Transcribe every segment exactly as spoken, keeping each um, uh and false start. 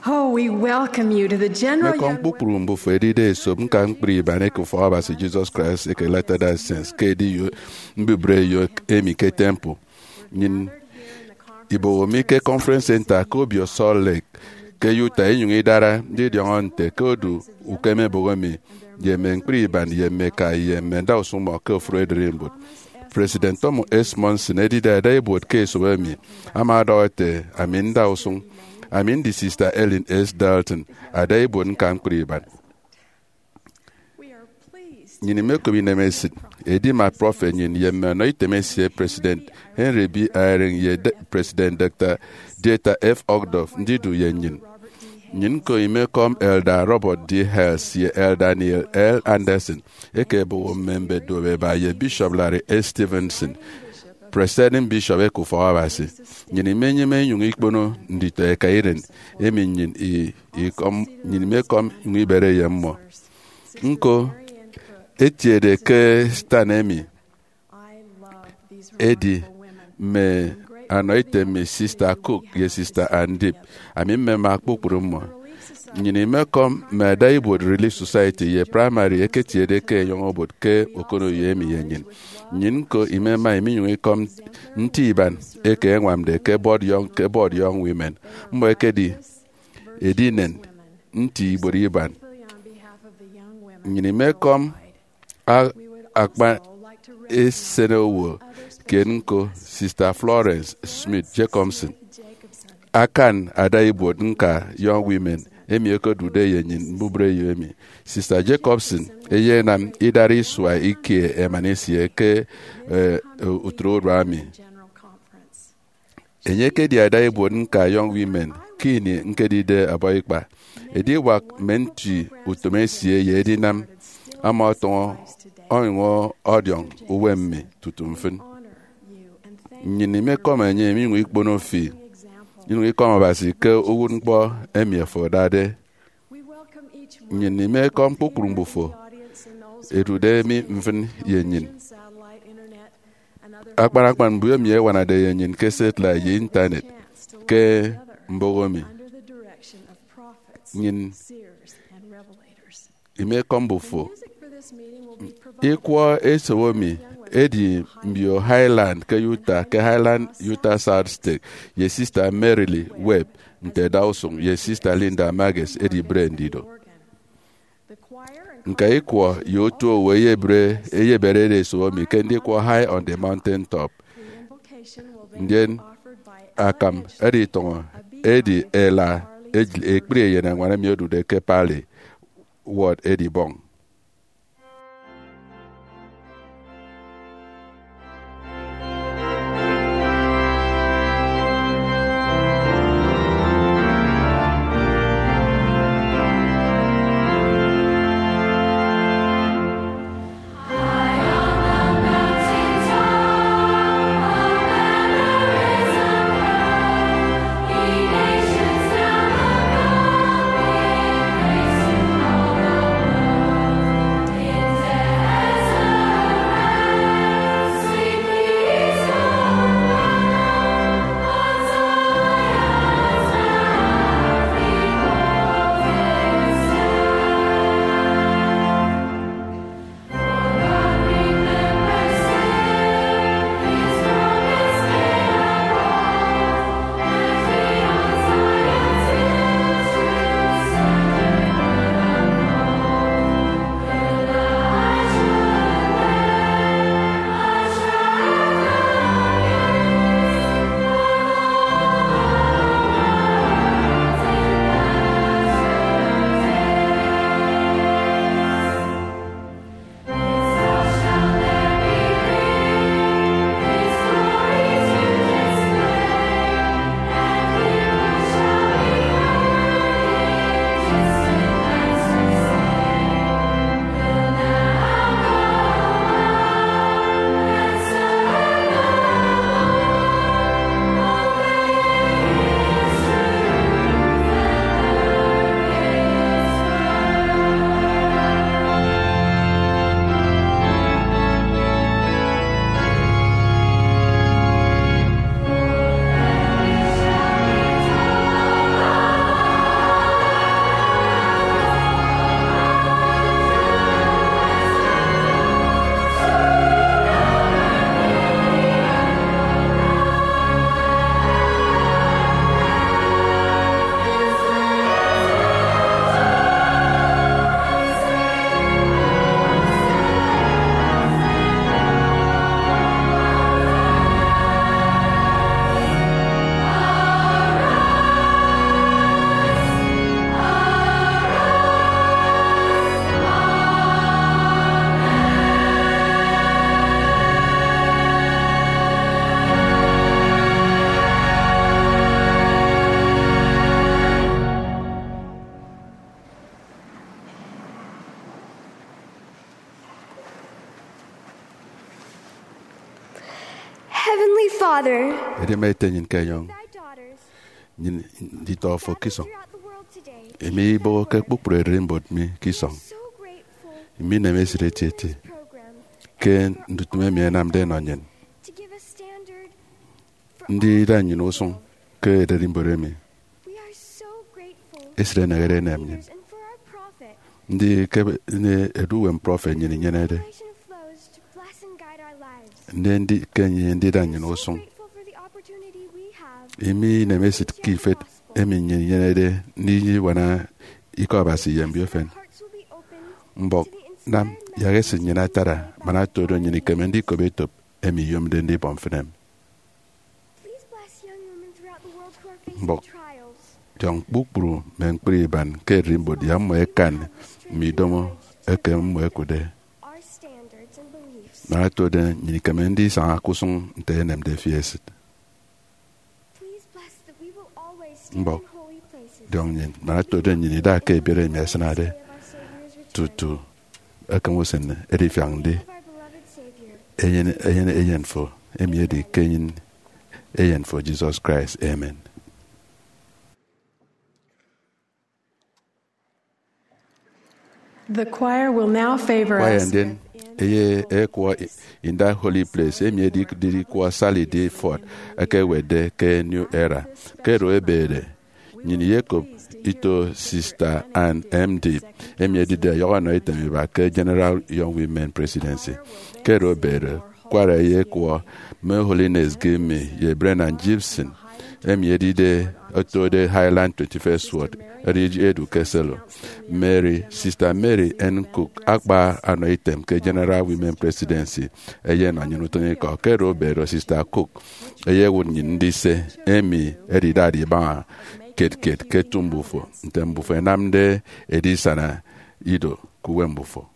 Oh, we welcome you to the general Mekọm young kpukpru mbufo edide esop ñka ñkpri iban eke Ufọk Abasi Jesus Christ eke Latter-day Saints ke ediyo mbubre eyo emi ke temple. Nyin iboho mi ke Conference Center ke obio Salt Lake ke Utah, inyuñ idara ndidiọñọ nte ke odu ukem eboho mi ye mme ñkpri iban ye mme eka ye mme ndausuñ mmọ ke ofuri edirimbot. President Thomas S. Monson edide ada ibuot ke esop emi ama ọdọhọ ete, ami nda usuñ. Ami ndi Sister Ellen S. Dalton, ada ibuot ñka ñkpri iban. Nyin imekobi inemesit edima prọfet nyin ye mme ọnọ item esie, President Henry B. Eyring ye De- President Doctor Dieter F. Uchtdorf ndidu ye nyin. Nyin ñko imekọm Elder Robert D. Hales ye Elder Neil L. Andersen eke eboho mme mbet duop eba ye Bishop Larry S. Stevenson, Presiding Bishop eke Ufọk Abasi. Nyin imenyime inyuñ ikpono nditọ eka iren emi nyin i- ikọm nyin imekọm inyuñ ibere ye mmọ. Ñko etiede ke stand emi edi mme anọ item mi, Sister Cook ye Sister Andip. Ami mmema kpukpru mmọ. Nyin imekọm mme ada ibuot Relief Society ye primary eketiede ke enyọñ obot ke okonoyo emi ye nyin. Nyin ñko imema iminyuñ ikọm nti iban eke eñwamde ke Board Young, ke Board Young Women. Mmọ ekedi edinen nti ibuot iban. Nyin imekọm a- akpan esenowo kiet ñko, Sister Florence Smith Jacobson, akan ada ibuot ñka Young Women emi okodude ye nyin mbubre eyo emi. Sister Jacobson eyenam idara isua ikie emana esie ke, eh, utre urua mi. Enye ekedi ada ibuot ñka Young Women ke ini ñkedide ọbọ ikpa. Ediwak mme nti utom esie ye edinam ama ọtọñọ onyụñ ọdiọñ uwem mi tutu mfịn. Nnyịn imekọm enye, minyụñ ikpono fi, inyụñ ikọm Abasi ke uwụtñkpọ emi afo adade. Nnyịn imekọm kpukpru mbufo edude mi mfịn ye nnyịn. Akpan akpan mbio emi ẹwanade ye nnyịn ke satellite ye Intanet ke mbọhọ mi. Nnyịn imekọm mbufo. Ikwọ esowo mi edi mbio Highland ke Utah, ke Highland Utah South State, ye Sister Mary Lee Webb nte Dawson ye Sister Linda Mages edibre ndido. Ñka ikwọ ye otu owo eyebere, eyeberede esowo mi ke ndikwọ High on the Mountain Top. Ndien akam editọñọ, edi ela ej- ekpri eyen añwan emi odude ke Parley Ward edibọñ. Father, edi ema ete nnyịn ke enyọñ nnyịn nditọ fo ke isọñ. Emi ibọhọke kpukpru ererimbot mi ke isọñ. Imi inem esịt etieti ke ndutịm emi ẹnamde ẹnọ nnyịn. Ndida nnyịn usụñ ke ererimbot emi esịt enehede enem nnyịn. Ndi ke edu uwem prọfet nnyịn inyenede? Ndi, ndi ke enye ndida nnyịn usụñ? Imi inem esịt ke ifet emi nnyịn inyenede ndinyene ibuana ikọ Abasi ye mbiofen. Mbọk nam yak esịt nnyịn atara man oto do nnyịn ikeme ndikop etop emi iyomde ndibọ mfịn emi. Mbọk diọñ kpukpru mme ñkpri iban ke ererimbot yak mmọ ẹkan mme idomo eke mmọ ẹkụtde. Man oto do nnyịn ikeme ndisaña ke usụñ nte enemde fi esịt. Mbọk diọñ nnyịn man oto do nnyịn ida ke ebiet emi ẹsịnade tutu ekem usen edifiak ndi eyen, eyen, eyen fo, emi edi ke enyịn eyen fo, Jesus Christ. Amen. The choir will now favor Kwaya us ndien with eye ekwọ In Thy Holy Place, emi edidide ikwọ Sally D. Ford ekewetde ke New Era. Ke oro ebede, nnyịn iyekop ito Sista Ann M. Deep, emi edide ọyọhọ ọnọ item iba ke General Young Women Presidency. Ke oro ebede, kwara eyekwọ Mme Holiness Gimmy ye Brennan Gibson, emi edide otode Highland twenty-first Ward, edi edu ke Selo. Mary, Sista Mary N. Cook, akpa anọ item ke General Women Presidency, eyenọ nnyịn utịñikọ. Ke oro ebede, Sista Cook eyewụt nnyịn ndise emi edidade ibaña kiet kiet ke etu mbufo, nte mbufo ẹnamde edisana ido ke uwem mbufo.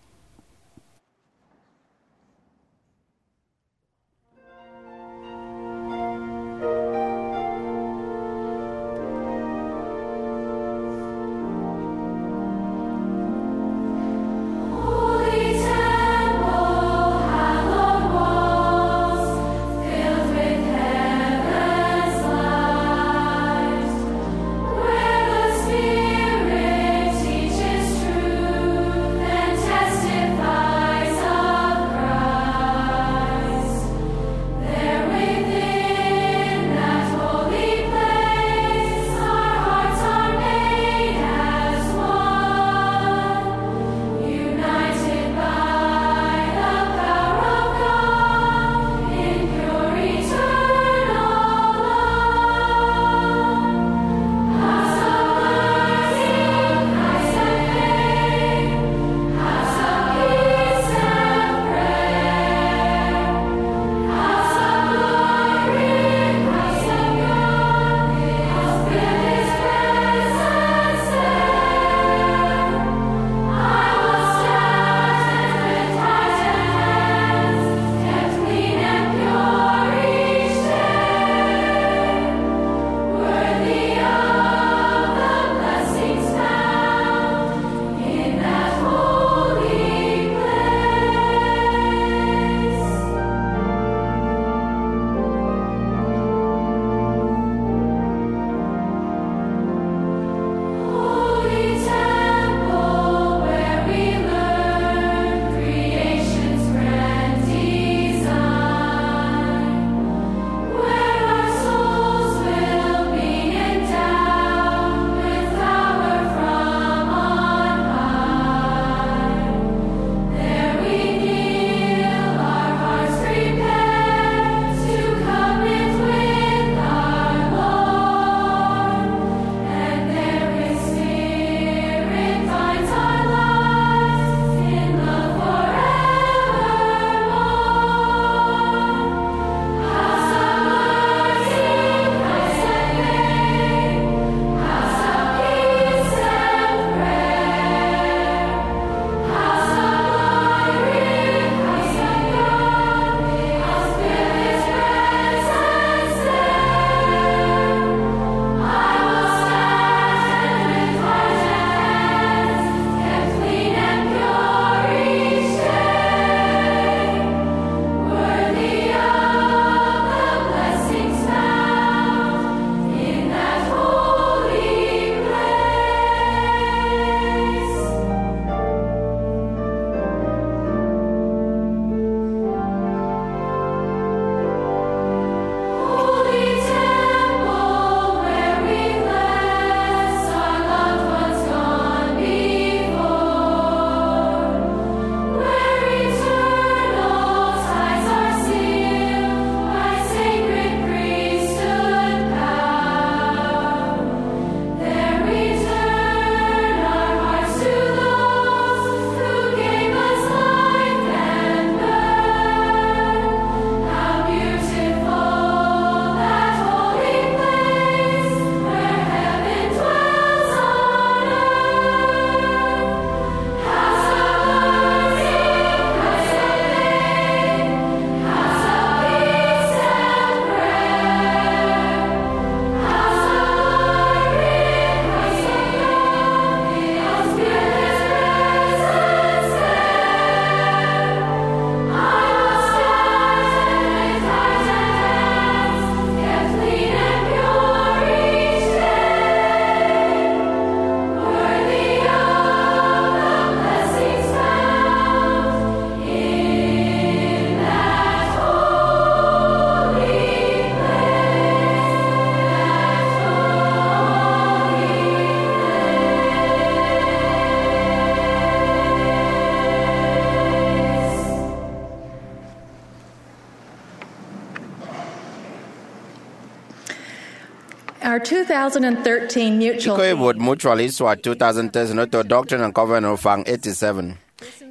Two thousand thirteen mutual Ikọ ibuot Mutual isua two thousand thirteen oto Doctrine and Covenants ufañ eighty-seven.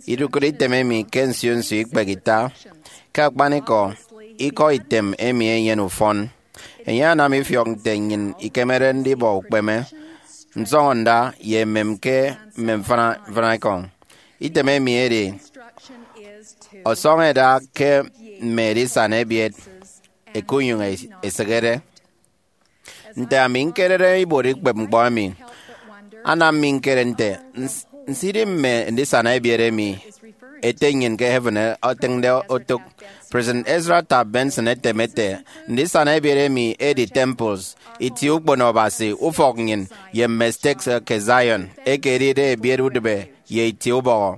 Idukụt item emi ke nsio nsio ikpehe ita. Ke akpanikọ, ikọ item emi enyene ufọn. Enye anam ifiọk nte nnyịn ikemede ndibọ ukpeme, nsọñọnda, ye emem ke mme mfịna mfịna ekọñ. Item emi edi, ọsọñ ẹda ke mme edisana ebiet ẹkunyụñ ẹsịghede. Nte ami ñkerede ibuot ikpep ñkpọ emi, anam mi ñkere nte, ns- nsidi mme ndisana ebiet emi Ete nnyịn ke heaven etịñde otụk. President Ezra Taft Benson etem ete, ndisana ebiet emi edi temples, itie ukpono Abasi, ufọk nnyịn, ye mme stakes eke Zion, eke edide ebiet udịbe ye itie ubọhọ.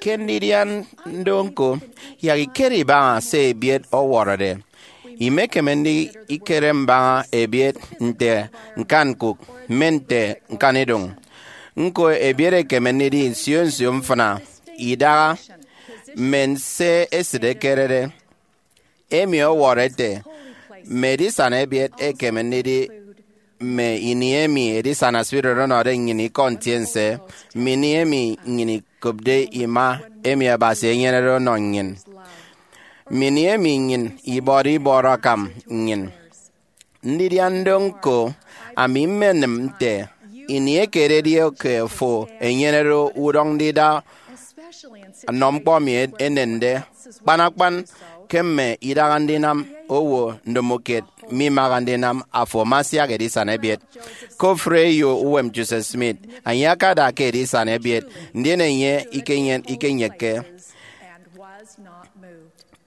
Ke ndidian ndo ñko, yak ikere ibaña se ebiet ọwọrọde. Imekeme ndikere mbaña ebiet nte ñkanñkụk, mme nte ñkanidụñ. Ñko, ebiet ekeme ndidi nsio nsio mfịna, idaha, mme se esịt ekerede. Emi ọwọrọ ete, mme edisana ebiet ekeme ndidi mme ini emi edisana spirit ọnọde nnyịn ikọ ntiense, mme ini emi nnyịn ikopde ima emi Abasi enyenede ọnọ nnyịn, mme ini emi nnyịn ibọde ibọrọ akam nnyịn. Ndidian ndo ñko, ami mmenịm nte ini ekededi ke fo enyenede udọñ ndida nnọ ñkpọ emi enende, kpan akpan ke mme idaha ndinam owo ndomokiet mimaha ndinam afo ama asiak edisana ebiet. Ke ofụri eyo uwem Joseph Smith, enye akada ke edisana ebiet, ndien enye ikenyen- ikenyekke.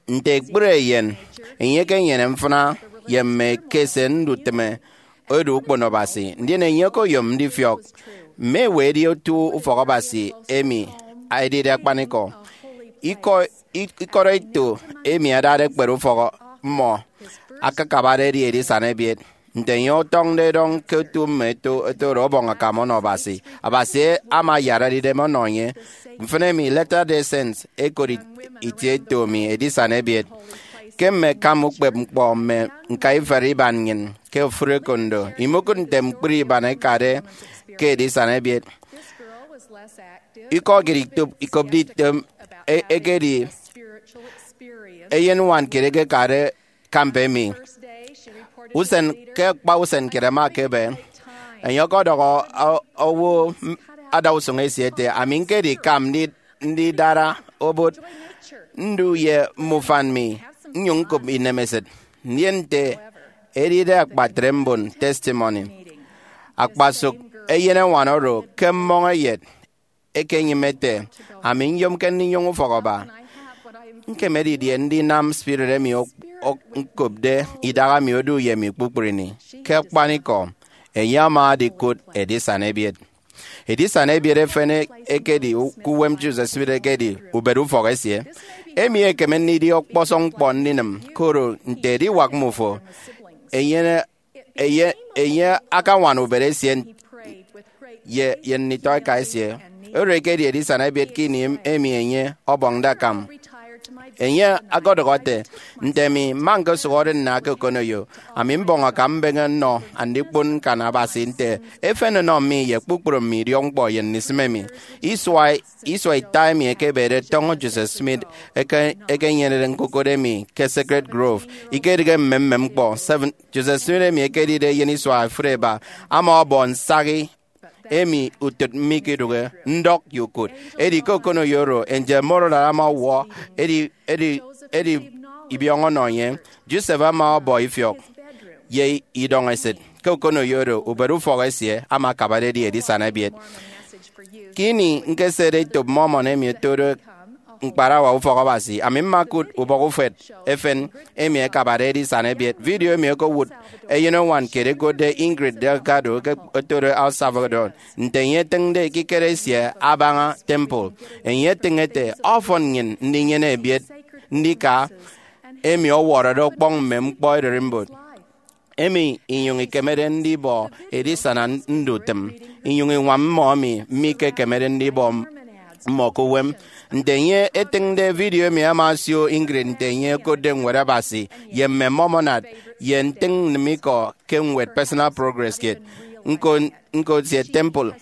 Nte ekpri eyen, enye ekenyene mfịna ye mme ekese ndutịme edu ukpono Abasi, ndien enye okoyom ndifiọk mme ewe edi otu ufọk Abasi emi edide akpanikọ. Ikọ, ikọrọ ito emi adade ekpere ufọk mmọ akakabade edi edisana ebiet. Nte enye ọtọñde edọñ ke otu mme eto, eto oro ọbọñ akam ọnọ Abasi, Abasi ama ayara edidem ọnọ enye. Mfịna emi Latter-day Saints ekot it- itie eto mi edisana ebiet. Ke mme akam ukpep ñkpọ mme ñkaiferi iban nnyịn ke ofụri ekondo, imokụt nte ñkpri iban ẹkade ke edisana ebiet. Ikọ kiet ikop- ikopde item e- ekedi eyeñwan kiet ekekade camp emi. Usen ke akpa usen kiet ẹma ẹkebe, enye ọkọdọhọ o- owo adausụñ esie ete, ami ñkedi kam ndi- ndidara obot ndu ye mme ufan mi, nnyụñ ñkop inemesịt. Ndien nte edide akpatre mbon testimony, akpasụk eyeñwan oro ke mmọñ eyet ekenyịme ete, ami nyomke ndinyụñ ufọk aba. Ñkeme didie ndinam spirit emi ok- ok- ñkopde idaha mi odu ye mi kpukpru ini? Ke akpanikọ, enye ama adikụt edisana ebiet. Edisana ebiet efen ekedi u- ke uwem Joseph Smith ekedi ubet ufọk esie. Emi ekeme ndidi ọkpọsọñ ñkpọ ndinịm, koro nte ediwak mmufo, enye enye, enye akañwana ubet esie ye, ye nditọeka esie. Oro ekedi edisana ebiet ke ini em- emi enye ọbọñde akam. Enye ọkọdọhọ ete, nte mi mma ñkosụhọde nna ke okonoyo, ami mbọñ akam mbeñe nnọ andikpon ñkan Abasi nte efen ọnọ mi ye kpukpru mme idiọkñkpọ ye ndisịme mi. Isua isua ita emi ekebede tọñọ Joseph Smith eke- ekenyenede ñkukụt emi ke Sacred Grove, ikedịghe mmemmem ñkpọ. Seven, Joseph Smith emi ekedide eyen isua efuri eba ama ọbọ nsahi emi utịt mikidụhe ndọk ye ukụt. Edi ke okonoyo oro, Angel Mordaunt ama ọwọ edi, edi, edi ibiọñọ ọnọ enye. Joseph ama ọbọ ifiọk ye idọñ esịt. Ke okonoyo oro, ubet ufọk esie ama akabade edi edisana ebiet. Ke ini ñkesede etop Mormon emi otode ñkparawa ufọk Abasi, ami mma ñkụt ubọk ufet efen emi ẹkabade edisana ebiet. Vidio emi okowụt eyeñwan kiet ẹkotde Ingrid Delgado ke otode El Salvador, nte enye etịñde ekikere esie abaña temple. Enye etịñ ete, ọfọn nnyịn ndinyene ebiet ndika emi ọwọrọde ọkpọñ mme ñkpọ ererimbot, emi inyụñ ikemede ndibọ edisana ndutịm, inyụñ iñwam mmọ emi mikekemede ndibọ mmọ ke uwem. Nte enye etịñde vidio emi ama osio Ingrid nte enye okotde Ñwed Abasi ye mme Mormon ye ntịñ nnịm ikọ ke ñwed Personal Progress kiet. Ñko, ñko ntiet temple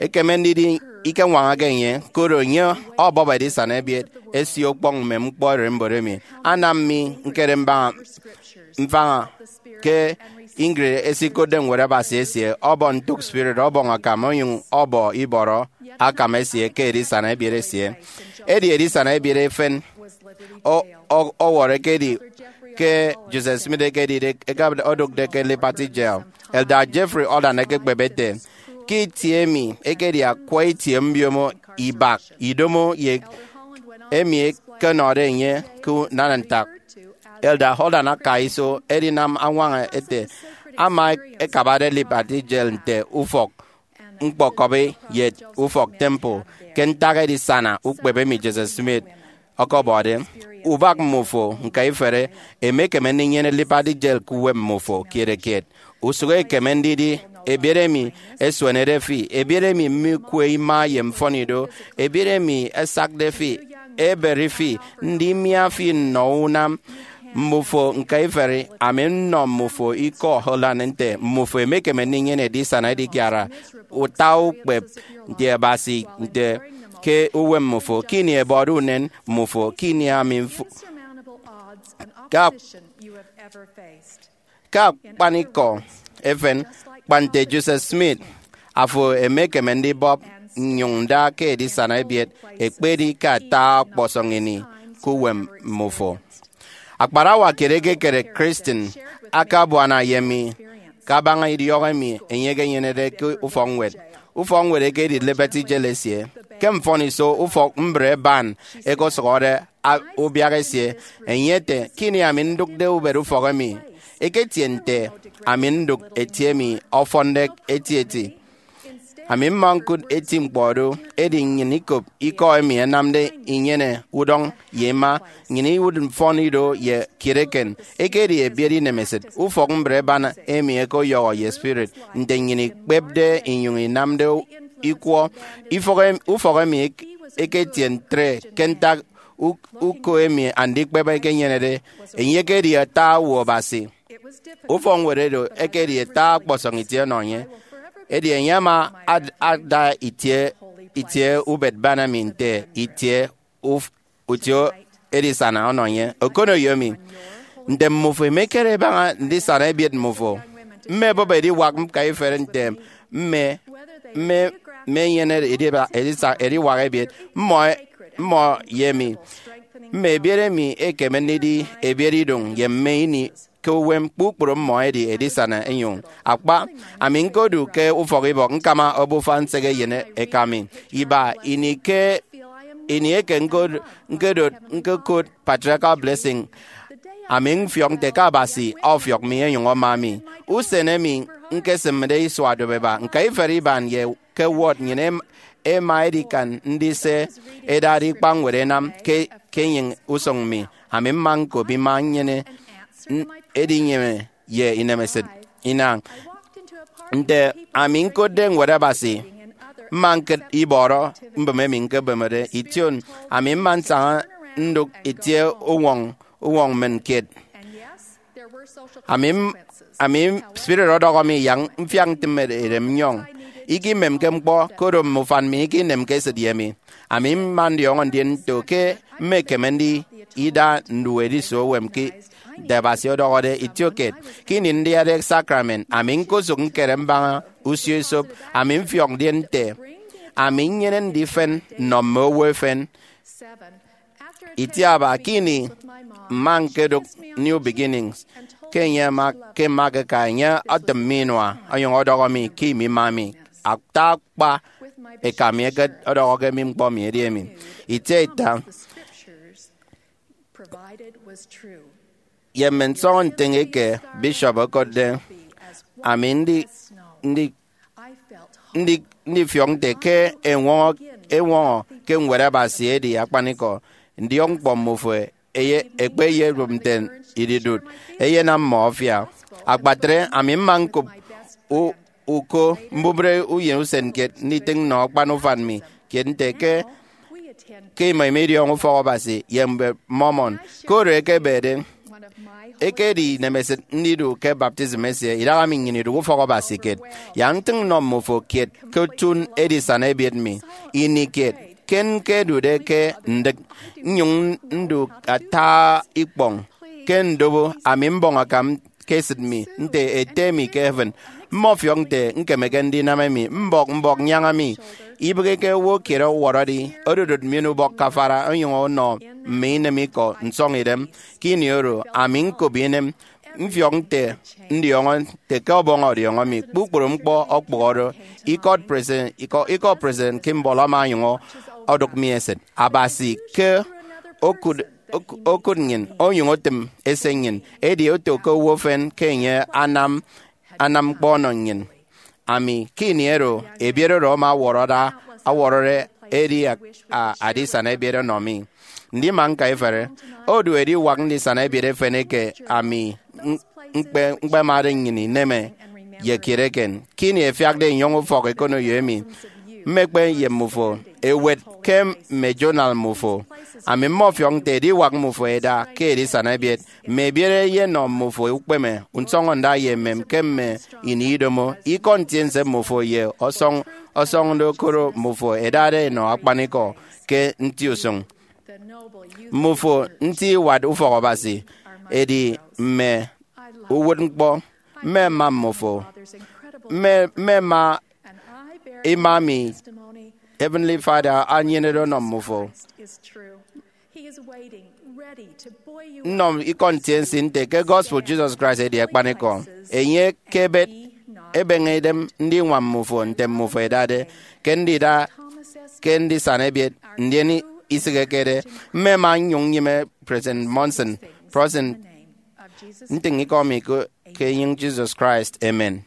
ekeme ndidi ikeñwañake enye, koro enye ọbọp edisana ebiet esie ukpọñ mme ñkpọ ererimbot emi. Anam mi ñkere mbaña, mfaña ke Ingrid esikotde Ñwed Abasi esie, ọbọ ntụk spirit, ọbọñ akam, onyụñ ọbọ ibọrọ akam esie ke edisana ebiet esie. Edi edisana ebiet efen o-, o-, ọwọrọ ekedi ke Joseph Smith ekedide, eke odụkde ke Liberty Jail. Elder Jeffrey Holland ekekpep ete, ke itie emi ekedi akwa itie mbiomo ibak idomo ye emi ekenọde enye ke unana ntak. Elder Holland aka iso edinam añwaña ete ama ekabade Liberty Jail nte ufọk ñkpọkọbi ye ufọk temple ke ntak edisana ukpep emi Joseph Smith ọkọbọde. Ubak mmufo ñkaiferi emekeme ndinyene Liberty Jail ke uwem mmufo kiet kiet. Usụk ekeme ndidi ebiet emi esuenede fi, ebiet emi mikwe ima ye mfọnido, ebiet emi esakde fi, eberi fi, ndimia fi nnọ unam. Mmufo ñkaiferi, ami nnọ mmufo ikọ Holland nte mmufo emekeme ndinyene edisana edikiara uta ukpep nti Abasi nte ke uwem mmufo, ke ini ebọde unen mmufo, ke ini ami mf-, ke ak-, ke akpanikọ efen, kpa nte Joseph Smith, afo emekeme ndibọp nnyụñ nda ke edisana ebiet, ekpedi ke ata ọkpọsọñ ini ke uwem mmufo. Akparawa kiet ekekere Kristen akabuana ye mi kabaña idiọk emi enye ekenyenede ke ufọkñwed. Ufọkñwed ekedi Liberty Jail esie. Ke mfọniso ufọk mbre ban ekosụhọde a-, ubiak esie, enye ete, ke ini ami ndụkde ubet ufọk emi, eketie nte ami ndụk eti emi ọfọnde etieti. Ami mma ñkụt eti ñkpọ do, edi nnyịn ikop ikọ emi ẹnamde inyene udọñ ye ima, nnyịn iwụt mfọnido ye kiet eken. Ekedi ebiet inemesịt ufọk mbre ban emi ẹkọyọhọ ye spirit, nte nnyịn ikpepde inyụñ inamde ikwọ. Ifọk em-, ufọk emi ek-, eketie ntre ke ntak u-, uko emi andikpep ekenyenede. Enye ekedi ata owo Abasi. Ufọkñwed oro ekedi ata ọkpọsọñ itie ọnọ enye. Edi enye ama ad-, ada itie, itie ubet ban emi nte itie uf-, utie edisana ọnọ enye. Okoneyo emi, nte mmufo imekere ibaña ndisana ebiet mmufo? Mmebọp ediwak ñkaiferi nte mme, mme, mme enyene ediba-, edisa-, ediwak ebiet mmọ, mmọ ye mi. Mme ebiet emi ekeme ndidi ebiet idụñ ye mme ini ke uwem, kpukpru mmọ edi edisana enyụñ. Akpa, ami ñkodu ke ufọkibọk ñkama obufa nsek eyen eka mi. Iba ini ke, ini eke ñko-, ñkedot ñkokot patriarchal blessing, ami mfiọk nte ke Abasi ọfiọk mi enyụñ ọma mi. Usen emi ñkesịmde isua dụbeba, ñkaiferi iban ye ke ward nnyịn em-, ema edikan ndise edade ikpañwed ẹnam ke, ke enyịñ usụñ mi. Ami mma ñkop ima nnyene n-, edinyene ye inemesịt inañ. Nte ami ñkotde Ñwed Abasi, mma ñkịt ibọrọ mbịm emi ñkebemede ition. Ami mma nsaña ndụk itie uñwọñ, uñwọñ mmịn kiet. Ami m-, ami spirit ọdọhọ mi yak mfiak ntịm edem nnyọñ. Ikimemke ñkpọ, koro mme ufan mi ikinemke esịt ye mi. Ami mma ndiọñọ ndien nto ke mmekeme ndida ndu edisu uwem ke nte Abasi ọdọhọde itiokiet. Ke ini ndiade sakrament, ami ñkosụk ñkere mbaña usio esop. Ami mfiọk ndien nte ami nnyene ndifen nnọ mme owo efen. Itiaba ke ini mma ñkedụk New Beginnings, ke enye ama, ke mma ñkeka, enye ọtịm mi inua, onyụñ ọdọhọ mi ke imi ima mi. Ata akpa eka mi eke ọdọhọ ke mi ñkpọ mi edi emi. Itiaita ye mme nsọñọ ntịñ eke bishop okotde, ami ndi, ndi, ndi, ndifiọk nte ke eñwọñọ, eñwọñọ ke Ñwed Abasi edi akpanikọ. Ndiọkñkpọ mmufo eye, ekpe eyebụp nte ididụt, eyenam mmọ ọfiak. Akpatre, ami mma ñkop u-, uko mbubịre uyen usen kiet nditịñ nnọ akpan ufan mi kiet nte ke, ke imọ imidiọñọ ufọk Abasi ye mbet Mormon. Ke oro ekebede, Ekedi inemesịt ndidu ke baptism esie. Idaha mi nnyịn idụk ufọk Abasi kiet, yak ntịñ nnọ mme ufo kiet ke utụn edisana ebiet mi. Ini kiet, ke ñkedude ke ndịk, nnyụñ ndu ata ikpọñ ke ndobo, ami mbọñ akam ke esịt mi nte Ete mi ke heaven. Mmọfiọk nte ñkemeke ndinam emi. Mbọk mbọk nyaña mi, ibịghike owo kiet ọwọrọde ododot mmien ubọk ke afara, onyụñ ọnọ mme inem ikọ nsọñidem. Ke ini oro, ami ñkop inem, mfiọk nte ndiọñọ nte ke Ọbọñ ọdiọñọ mi. Kpukpru ñkpọ ọkpụhọde. Ikọt President, ikọ, ikọt President Kimball ama onyụñ odụk mi esịt. Abasi ke okụt, okụt nnyịn, onyụñ otịm ese nnyịn, edi oto ke owo efen ke enye anam, anam ñkpọ ọnọ nnyịn. Ami, ke ini oro, ebiet oro ama ọwọrọde, ọwọrọde edi a-, a-, adisana ebiet ọnọ mi. Ndima ñka ifere, odu ediwak ndisana ebiet efen eke ami m-, ñkpe-, ñkpemade nnyịn ineme ye kiet eken. Ke ini ẹfiakde enyọñ ufọk ekonoyo emi, mmekpe ye mmufo ẹwet ke mme journal mmufo. Ami mmọfiọk nte ediwak mmufo ẹda ke edisana ebiet. Mme ebiet ẹyenọ mmufo ukpeme, nsọñọnda ye emem ke mme ini idomo. Ikọ ntiense mmufo ye ọsọñ, ọsọñde okoro mmufo ẹdade ẹnọ akpanikọ ke nti usụñ. Mmufo nti iwat ufọk Abasi, edi mme uwụtñkpọ. Mmema mmufo. Mme, mmema ima mi Heavenly Father anyenede ọnọ mmufo. Nnọ ikọ ntiense nte ke gospel Jesus Christ edi akpanikọ. Enye ke ebet, ebeñe idem ndiñwam mmufo nte mmufo ẹdade ke ndida ke ndisana ebiet, ndien isịghekede. Mmema nnyụñ nnyịme President Monson, President, ntịñ ikọ mi ke, ke enyịñ Jesus Christ. Amen.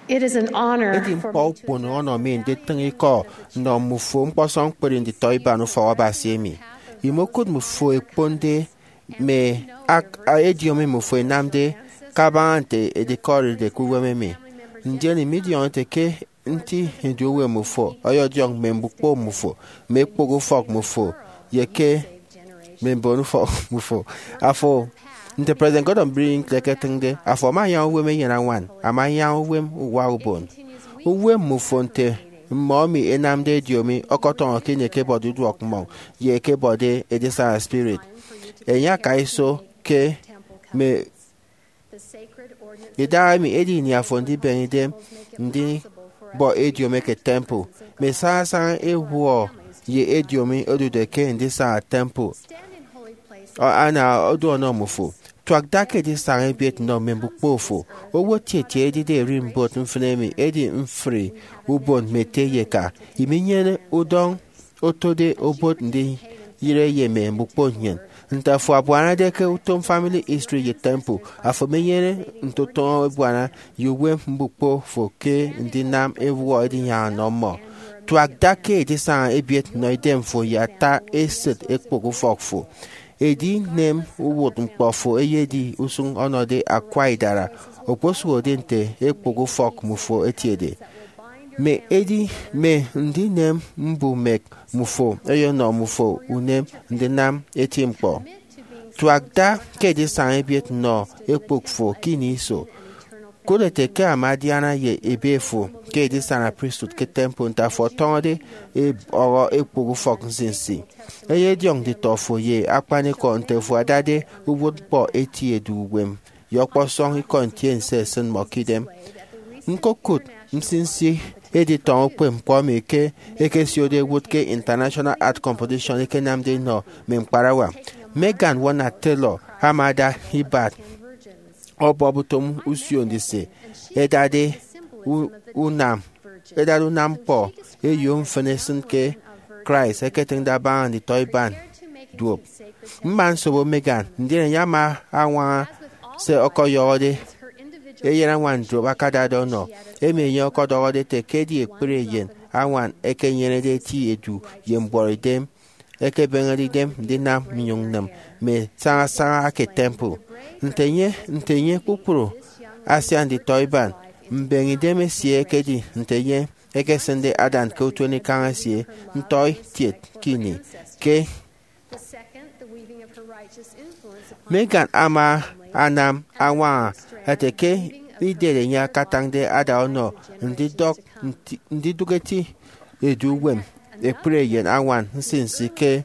Edi ñkpọ ukpono ọnọ mi nditịñ ikọ nnọ mmufo ñkpọsọñ ñkpri nditọiban ufọkabasi emi. Imokụt mmufo ẹkponde mme ak- ediomi mmufo ẹnamde kabaña nte edikọride ke uwem emi. Ndien imidiọñọ ete ke nti edu uwem mmufo ọyọdiọñ mme mbukpo mmufo, mme ekpok ufọk mmufo, ye ke mme mbon ufọk mmufo. Afo, nte President Gordon B. Hinckley eketịñde, afo ama anyaña uwem eyen añwan, ama anyaña uwem uwa ubon. Uwem mmufo nte mmọ emi ẹnamde ediomi ọkọtọñọ ke ini ẹkebọde uduọk mmọñ ye ẹkebọde edisana spirit. Enye akaiso ke mme idahaemi edi ini afo ndibeñe idem ndibọ ediomi eke temple. Mme sañasaña ewuọ ye ediomi odude ke ndisana temple ana odu ọnọ mmufo. Tuak da ke edisana ebiet nnọ mme mbukpo fo. Owo tietie edide erimbot mfịn emi edi mfri ubon mme ete ye eka. Iminyene udọñ otode obot ndiyịre ye mme mbukpo nnyịn. Nte afo abuanade ke utom Family History ye Temple, afo emenyene ntotụñọ ebuana ye uwem mbukpo fo ke ndinam ewuọ edinyaña nnọ mmọ. Tuak da ke edisana ebiet nnọ idem fo ye ata esịt ekpok ufọk fo. Edinem uwụtñkpọ fo eyedi usụñ ọnọde akwa idara, okposụkde nte ekpok ufọk mmufo etiede. Mme edi mme ndinem mbumek mmufo ẹyọnọ mmufo unem ndinam eti ñkpọ. Tuak da ke edisana ebiet nnọ ekpok fo ke ini iso. Kụt ete ke ama adiana ye ebe fo ke edisana pristut ke temple nte afo ọtọñọde ebọhọ ekpok ufọk nsinsi. Eyediọñ nditọ fo ye akpanikọ nte afo adade uwụtñkpọ eti edu uwem ye ọkpọsọñ ikọ ntiense esịn mmọ ke idem. Ñkokụt nsinsi editọñọ ukpepñkpọ emi ke ẹkesiode ẹwụt ke International Art Competition ẹkenamde ẹnọ mme ñkparawa. Megan Warner Taylor ama ada ibat ọbọp utom usio ndise ẹdade u- unam ẹdade unam ñkpọ eyo mfịn esịn ke Christ eketịñde abaña nditọiban duop. Mma nsobo Megan, ndien enye ama añwaña se ọkọyọhọde eyen añwan duop akadade ọnọ, emi enye ọkọdọhọde ete ke edi ekpri eyen añwan ẹkenyenede eti edu ye mbuọtidem, ẹkebịghede idem ndinam nnyụñ nnịm mme sañasaña eke temple. Nte enye, nte enye, kpukpru asian nditọiban mbeñe idem esie ẹkedi nte enye ekesịnde adan ke utuenikañ esie, ntọi kiet ke ini. Ke Megan ama anam añwaña ete ke idịt enye akatañde ada ọnọ ndidọk nti- ndidụk eti edu uwem ekpri eyen añwan nsinsi ke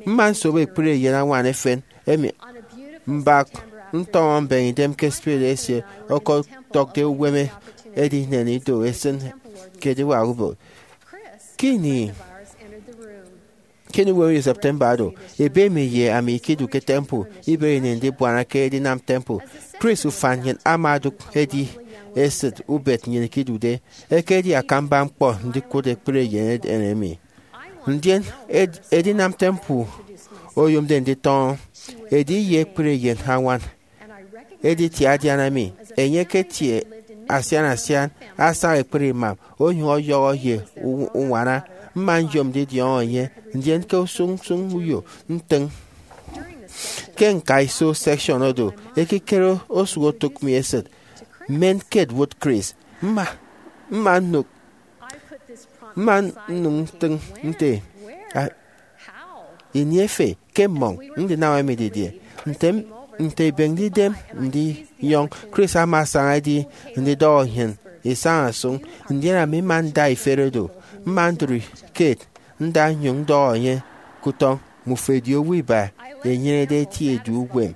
mma nsobo ekpri eyen añwan efen emi mbak ntọñọ mbeñe idem ke spirit esie ọkọdọkde uwem edinen ido esịn ke ediwak ubon. Ke ini ke ini uwem ye September oro, ebe emi ye ami ikidu ke temple, iberi ini ndibuana ke edinam temple. Chris ufan nnyịn ama odụk edi esịt ubet nnyịn ikidude, ekedi akamba ñkpọ ndikụt ekpri eyen emi. Ndien ed- edinam temple oyomde nditọñọ, edi ye ekpri eyen añwan editie adiana mi. Enye eketie asian asian, asaña ekpri imam, onyụñ ọyọhọ ye u- uñwana. Mma nyom ndidiọñọ enye, ndien ke usụñ usụñ uyo ntịñ. Ke ñkaiso section oro, ekikere osụk otụk mi esịt, men ke ẹwụt Chris. Mma mma nnụk mma nnụñ ntịñ nte, "Ah, ini efe ke mmọñ ndinam emi didie?" Nte m- nte ibịghde idem ndinyọñ, Chris ama asaña edi ndidọhọ nnyịn isañ asụñ, ndien ami mma nda ifet oro. Mma ndụri kiet nda nnyụñ ndọhọ enye ke utọñ, "Mmufo ẹdi owo iba ẹnyenede eti edu uwem."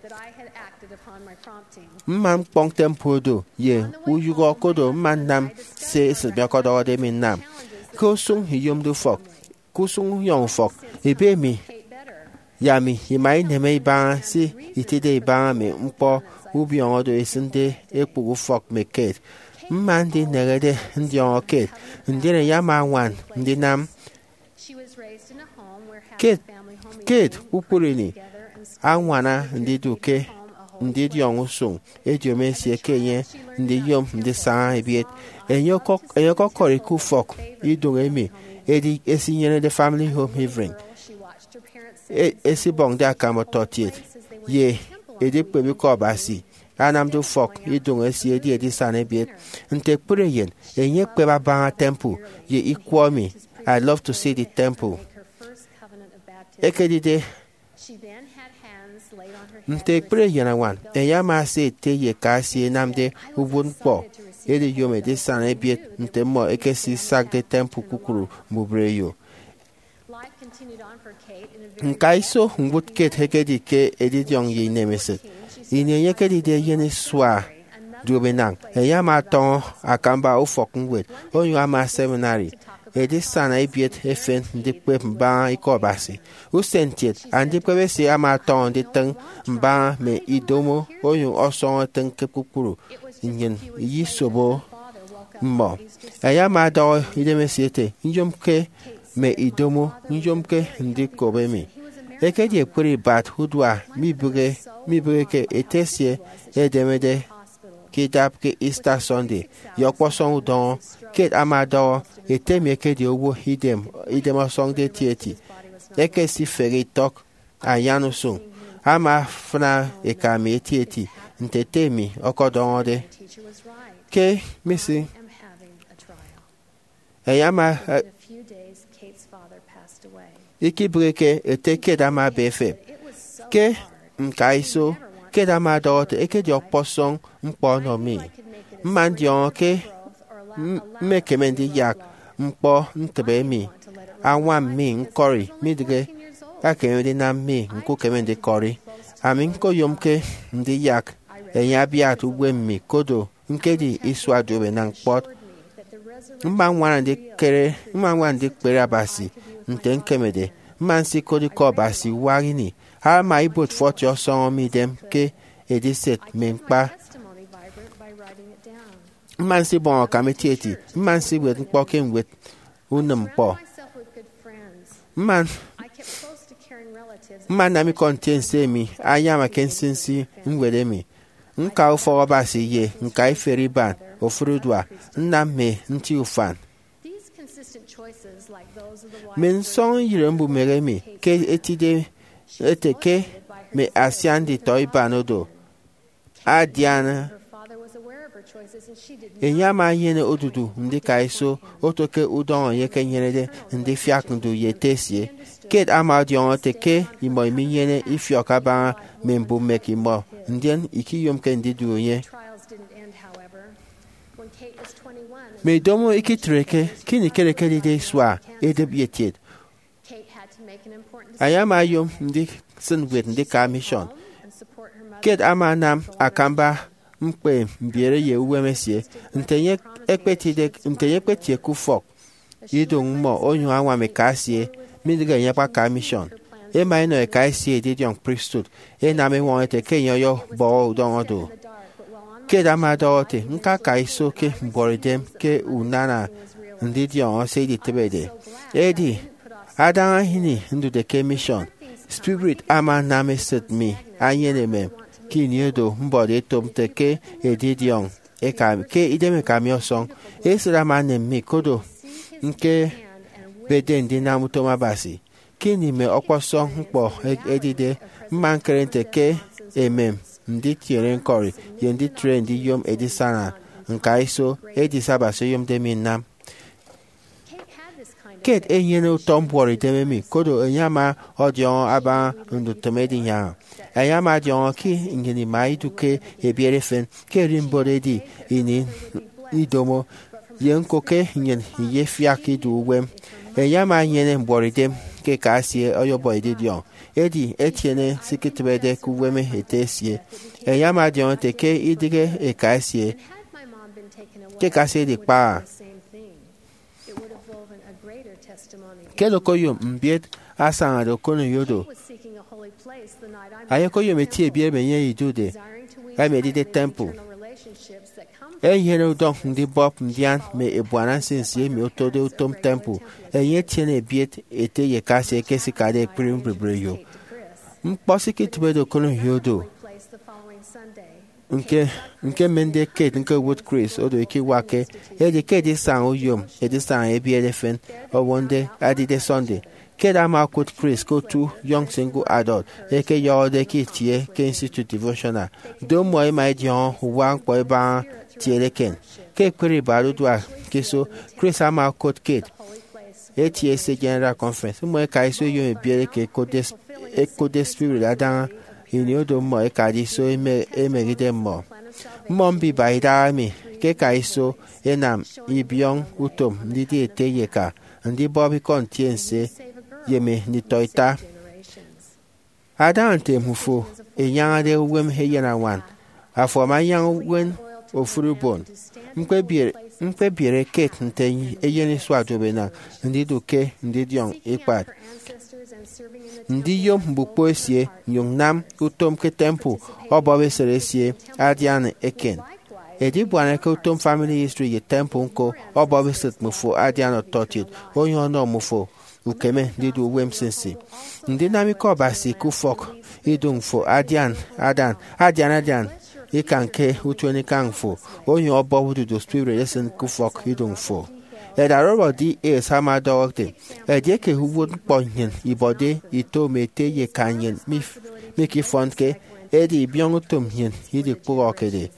Mma ñkpọñ temple do ye uyụhọ kodo mma nnam se esịt mi ọkọdọhọde mi nnam. Ke usụñ iyomde ufọk, ke usụñ unyọñ ufọk, ebe mi ye ami ima ineme ibaña se itide ibaña mme ñkpọ ubiọñọ do esịnde ekpụk ufọk mme kiet. Mma ndineñede ndiọñọ kiet, ndien enye ama añwan ndinam kiet. Kiet kpukpru ini añwana ndidu ke ndidiọñ usụñ ediomi esie ke enye ndiyom ndisaña ebiet. Enye ọkọk-, enye ọkọkọri ke ufọk iduñ emi edi esinyenede Family Home Hearing, e-, esibọñde akam ọtọkiet, ye edikpep Ikọ Abasi anamde ufọk iduñ esie edi edisana ebiet. Nte ekpri eyen, enye ekpep abaña temple ye ikwọ emi, "I love to see the temple." Ekedide nte ekpri eyen añwan, enye ama ese ete ye eka esie enamde uwụtñkpọ ediyom edisana ebiet nte mmọ ẹkesisakde temple kpukpru mbubreyo. Ñkaiso ñwụt Kate ekedi ke edidiọñ ye inemesịt. Ini enye ekedide eyen isua duopenañ, enye ama ọtọñọ akamba ufọkñwed onyụñ ama seminary. Edisana ebiet efen ndikpep mbaña Ikọ Abasi. Usen kiet, andikpep esie ama ọtọñọ nditịñ mbaña mme idomo onyụñ ọsọñọ etịñ ke kpukpru nnyịn iyisobo mmọ. Enye ama ọdọhọ idemesie ete, "Nyomke mme idomo, nyomke ndikop emi." Ekedi ekpri ibat udua mibịghe, mibịgheke ete esie edemede ke idap ke Easter Sunday, ye ọkpọsọñ udọñọ. Kate ama ọdọhọ ete emi ekedi owo idem, idem ọsọñde etieti. Ekesifehe itọk anyan usụñ, ama afịna eka mi etieti nte ete mi ọkọdọhọde. Ke Missy, enye ama, eh, ikibịghike ete Kate ama ebe efep. Ke ñkaiso, Kate ama ọdọhọ ete, "Ekedi ọkpọsọñ ñkpọ ọnọ mi. Mma ndiọñọ ke m-, mmekeme ndiyak ñkpọ ntịbe emi añwam mi ñkọri, midịghe akeme ndinam mi ñkukeme ndikọri. Ami ñkoyomke ndiyak enye abiat uwem mi, kodo ñkedi isua duopenañ kpọt. Mma ñwana ndikere, mma ñwana ndikpere Abasi nte ñkemede. Mma nsikot Ikọ Abasi uwa ini. Ama ibuot forty ọsọñọ mi idem ke ediset mme ñkpa. Mma nsibọñ akam etieti. Mma nsiwet ñkpọ ke ñwed unịm ñkpọ. Mma, mma nnam ikọ ntiense emi ayama ke nsinsi ñwed emi. Ñka ufọk Abasi ye ñka iferi iban ofụri udua, nnam mme nti ufan." Mme nsọñeyịre mbumehe emi ke etide ete ke mme asian nditọ iban odo adiana. Enye ama enyene odudu ndikaiso oto ke udọñọ enye ekenyenede ndifiak ndu ye ete esie. Kate ama ọdiọñọ ete ke imọ iminyene ifiọk abaña mme mbumek imọ, ndien ikiyomke ndidu enye. Mme idomo ikitreke ke ini Kate ekedide isua edịp ye kiet. Enye ama oyom ndisịn ñwed ndika mission. Kate ama anam akamba ñkpe mbiere ye uwem esie. Nte enye ekpetide, nte enye ekpetie ke ufọk iduñ mmọ onyụñ añwam eka esie, midịghe enye akpaka mission. Ema enọ eka esie edidiọñ priesthood, enam eñwọñọ ete ke enye ọyọbọhọ udọñọ do. Kate ama ọdọhọ ete, "Ñkaka iso ke mbuọtidem ke unana ndidiọñọ se iditịbede. Edi adaña ini ndude ke mission, spirit ama anam esịt mi anyene emem. Ke ini oro mbọde etop nte ke edidiọñ eka, ke idem eka mi ọsọñ, esịt ama enem mi, kodo ñkebede ndinam utom Abasi. Ke ini mme ọkpọsọñ ñkpọ e-, edide, mma ñkere nte ke emem nditiene ñkọri ye nditre ndiyom edisana ñkaiso edi se Abasi oyomde mi nnam." Kate enyene utọ mbuọtidem emi, kodo enye ama ọdiọñọ abaña ndutịm edinyaña. Enye ama ọdiọñọ ke nnyịn ima idu ke ebiet efen, ke ererimbot edi ini idomo, ye ñko ke nnyịn iyefiak idu uwem. Enye ama enyene mbuọtidem ke eka esie ọyọbọ edidiọñ, edi etiene se iketịbede ke uwem ete esie. Enye ama ọdiọñọ ete ke idịghe eka esie, ke eka esie edikpaha. Kate okoyom mbiet asañade okoneyo do. Enye okoyom eti ebiet emi enye idude, emi edide temple. Enyene udọñ ndibọp ndian mme ebuana nsinsi emi otode utom temple. Enye etiene ebiet ete ye eka esie ke ẹsikade ekpri mbubreyo. Ñkpọ se iketịbede okoneyo do. Nke nke mmende Kate ñkowụt Chris odo ikiwakke, edi ke edisaña uyom edisaña ebiere efen owo nte adide Sunday. Kate ama okụt Chris ke otu Young Single Adult eke ẹyọhọde ke itie ke Institute Devotional. Do mmọ ẹma ẹdiọñọ uwa ñkpọ ẹbaña tiere eken. Ke ekpri ibat uduak ke iso, Chris ama okot Kate eti ese General Conference. Mmọ ẹka iso ẹyom ebiere ke ẹkotde spirit adaña ini odo mmọ ẹkade iso emehe idem mmọ. Mmọ mbiba idahaemi ke ẹka iso ẹnam ibiọñ utom ndidi ete ye eka, ndibọp ikọ ntiense, ye mme nditọita. Adaña nte mmufo enyañade uwem eyenañwan, afo ama anyaña uwem ofụri ubon. Ñkpebiere Kate nte eyen isua duopenañ ndidu ke ndidiọñ ikpat, ndiyom mbukpo esie, nnyụñ nnam utom ke temple ọbọp esịt esie adian eken. Edibuana ke utom Family History ye temple ñko ọbọp esịt mmufo adian ọtọkiet onyụñ ọnọ mmufo ukeme ndidu uwem nsinsi. Ndinam ikọ Abasi ke ufọk iduñ fo adian adan adian adian ikan ke utuenikañ fo onyụñ ọbọp ududu spirit esịn ke ufọk iduñ fo. Elder Robert D. Hales ama ọdọhọ ete, edieke uwụtñkpọ nnyịn ibọde ito mme ete ye eka nnyịn mif- mikifọnke, edi ibiọñ utom nnyịn idikpụhọkede.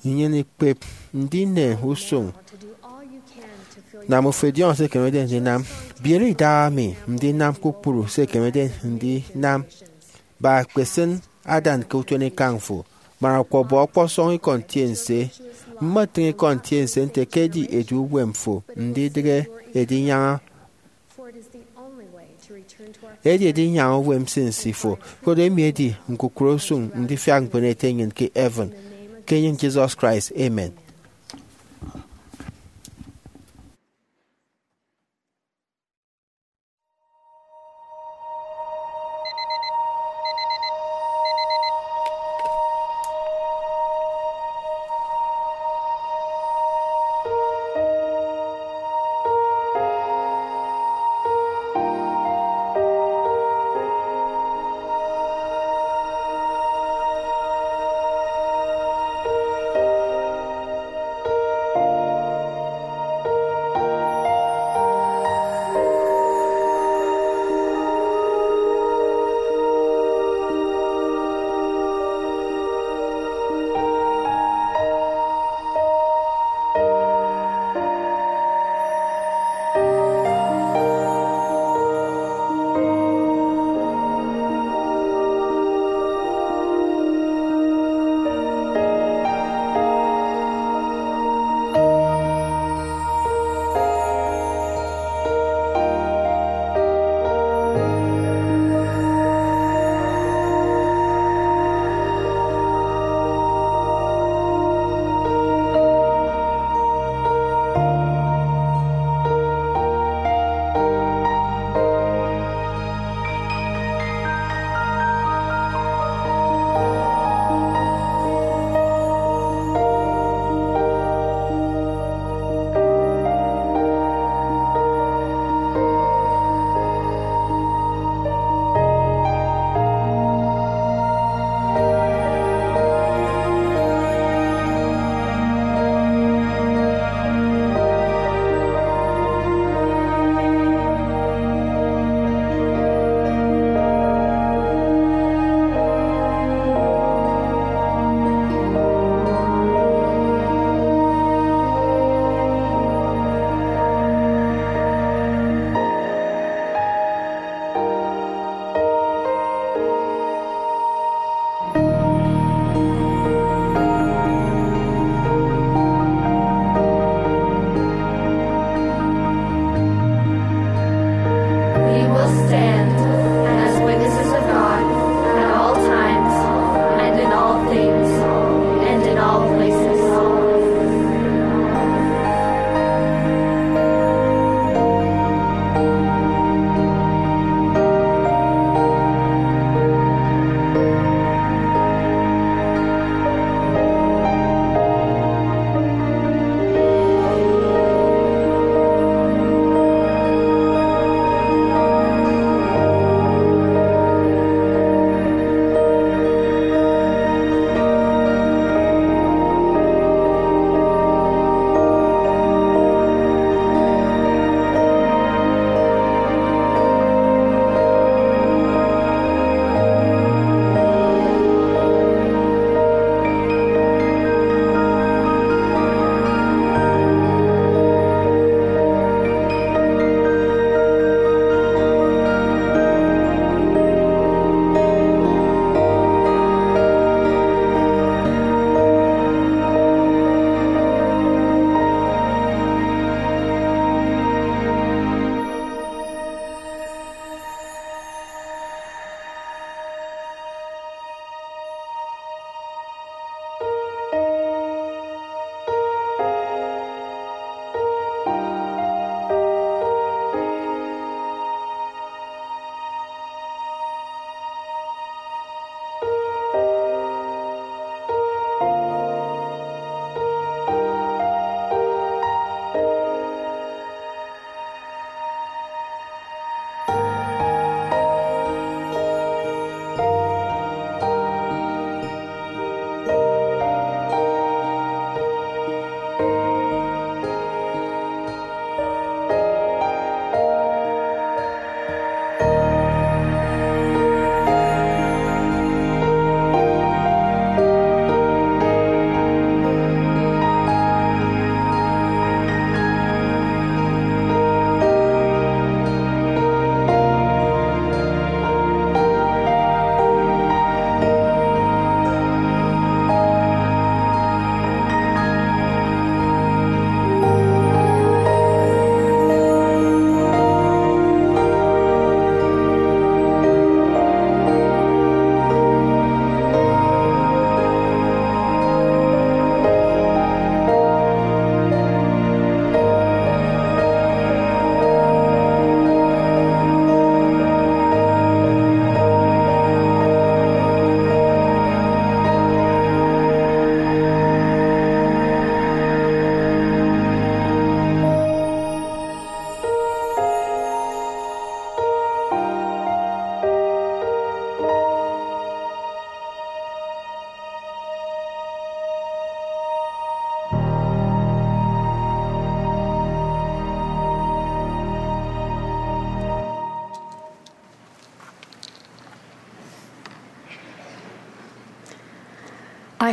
Nnyịn ikpep ndinen usụñ. Nam ofo idiọñọ se ekemede ndinam. Biere idahaemi ndinam kpukpru se ekemede ndinam. Ba ekpesịn adan ke utuenikañ fo, man ọkpọbọ ọkpọsọñ ikọ ntiense. Mmọtịñ ikọ ntiense nte ke edi edu uwem fo ndidịghe edinyaña edi edinyaña uwem nsinsi fo. Koro emi edi ñkukụre usụñ ndifiak mbono ete nnyịn ke heaven. Ke enyịñ Jesus Christ, amen.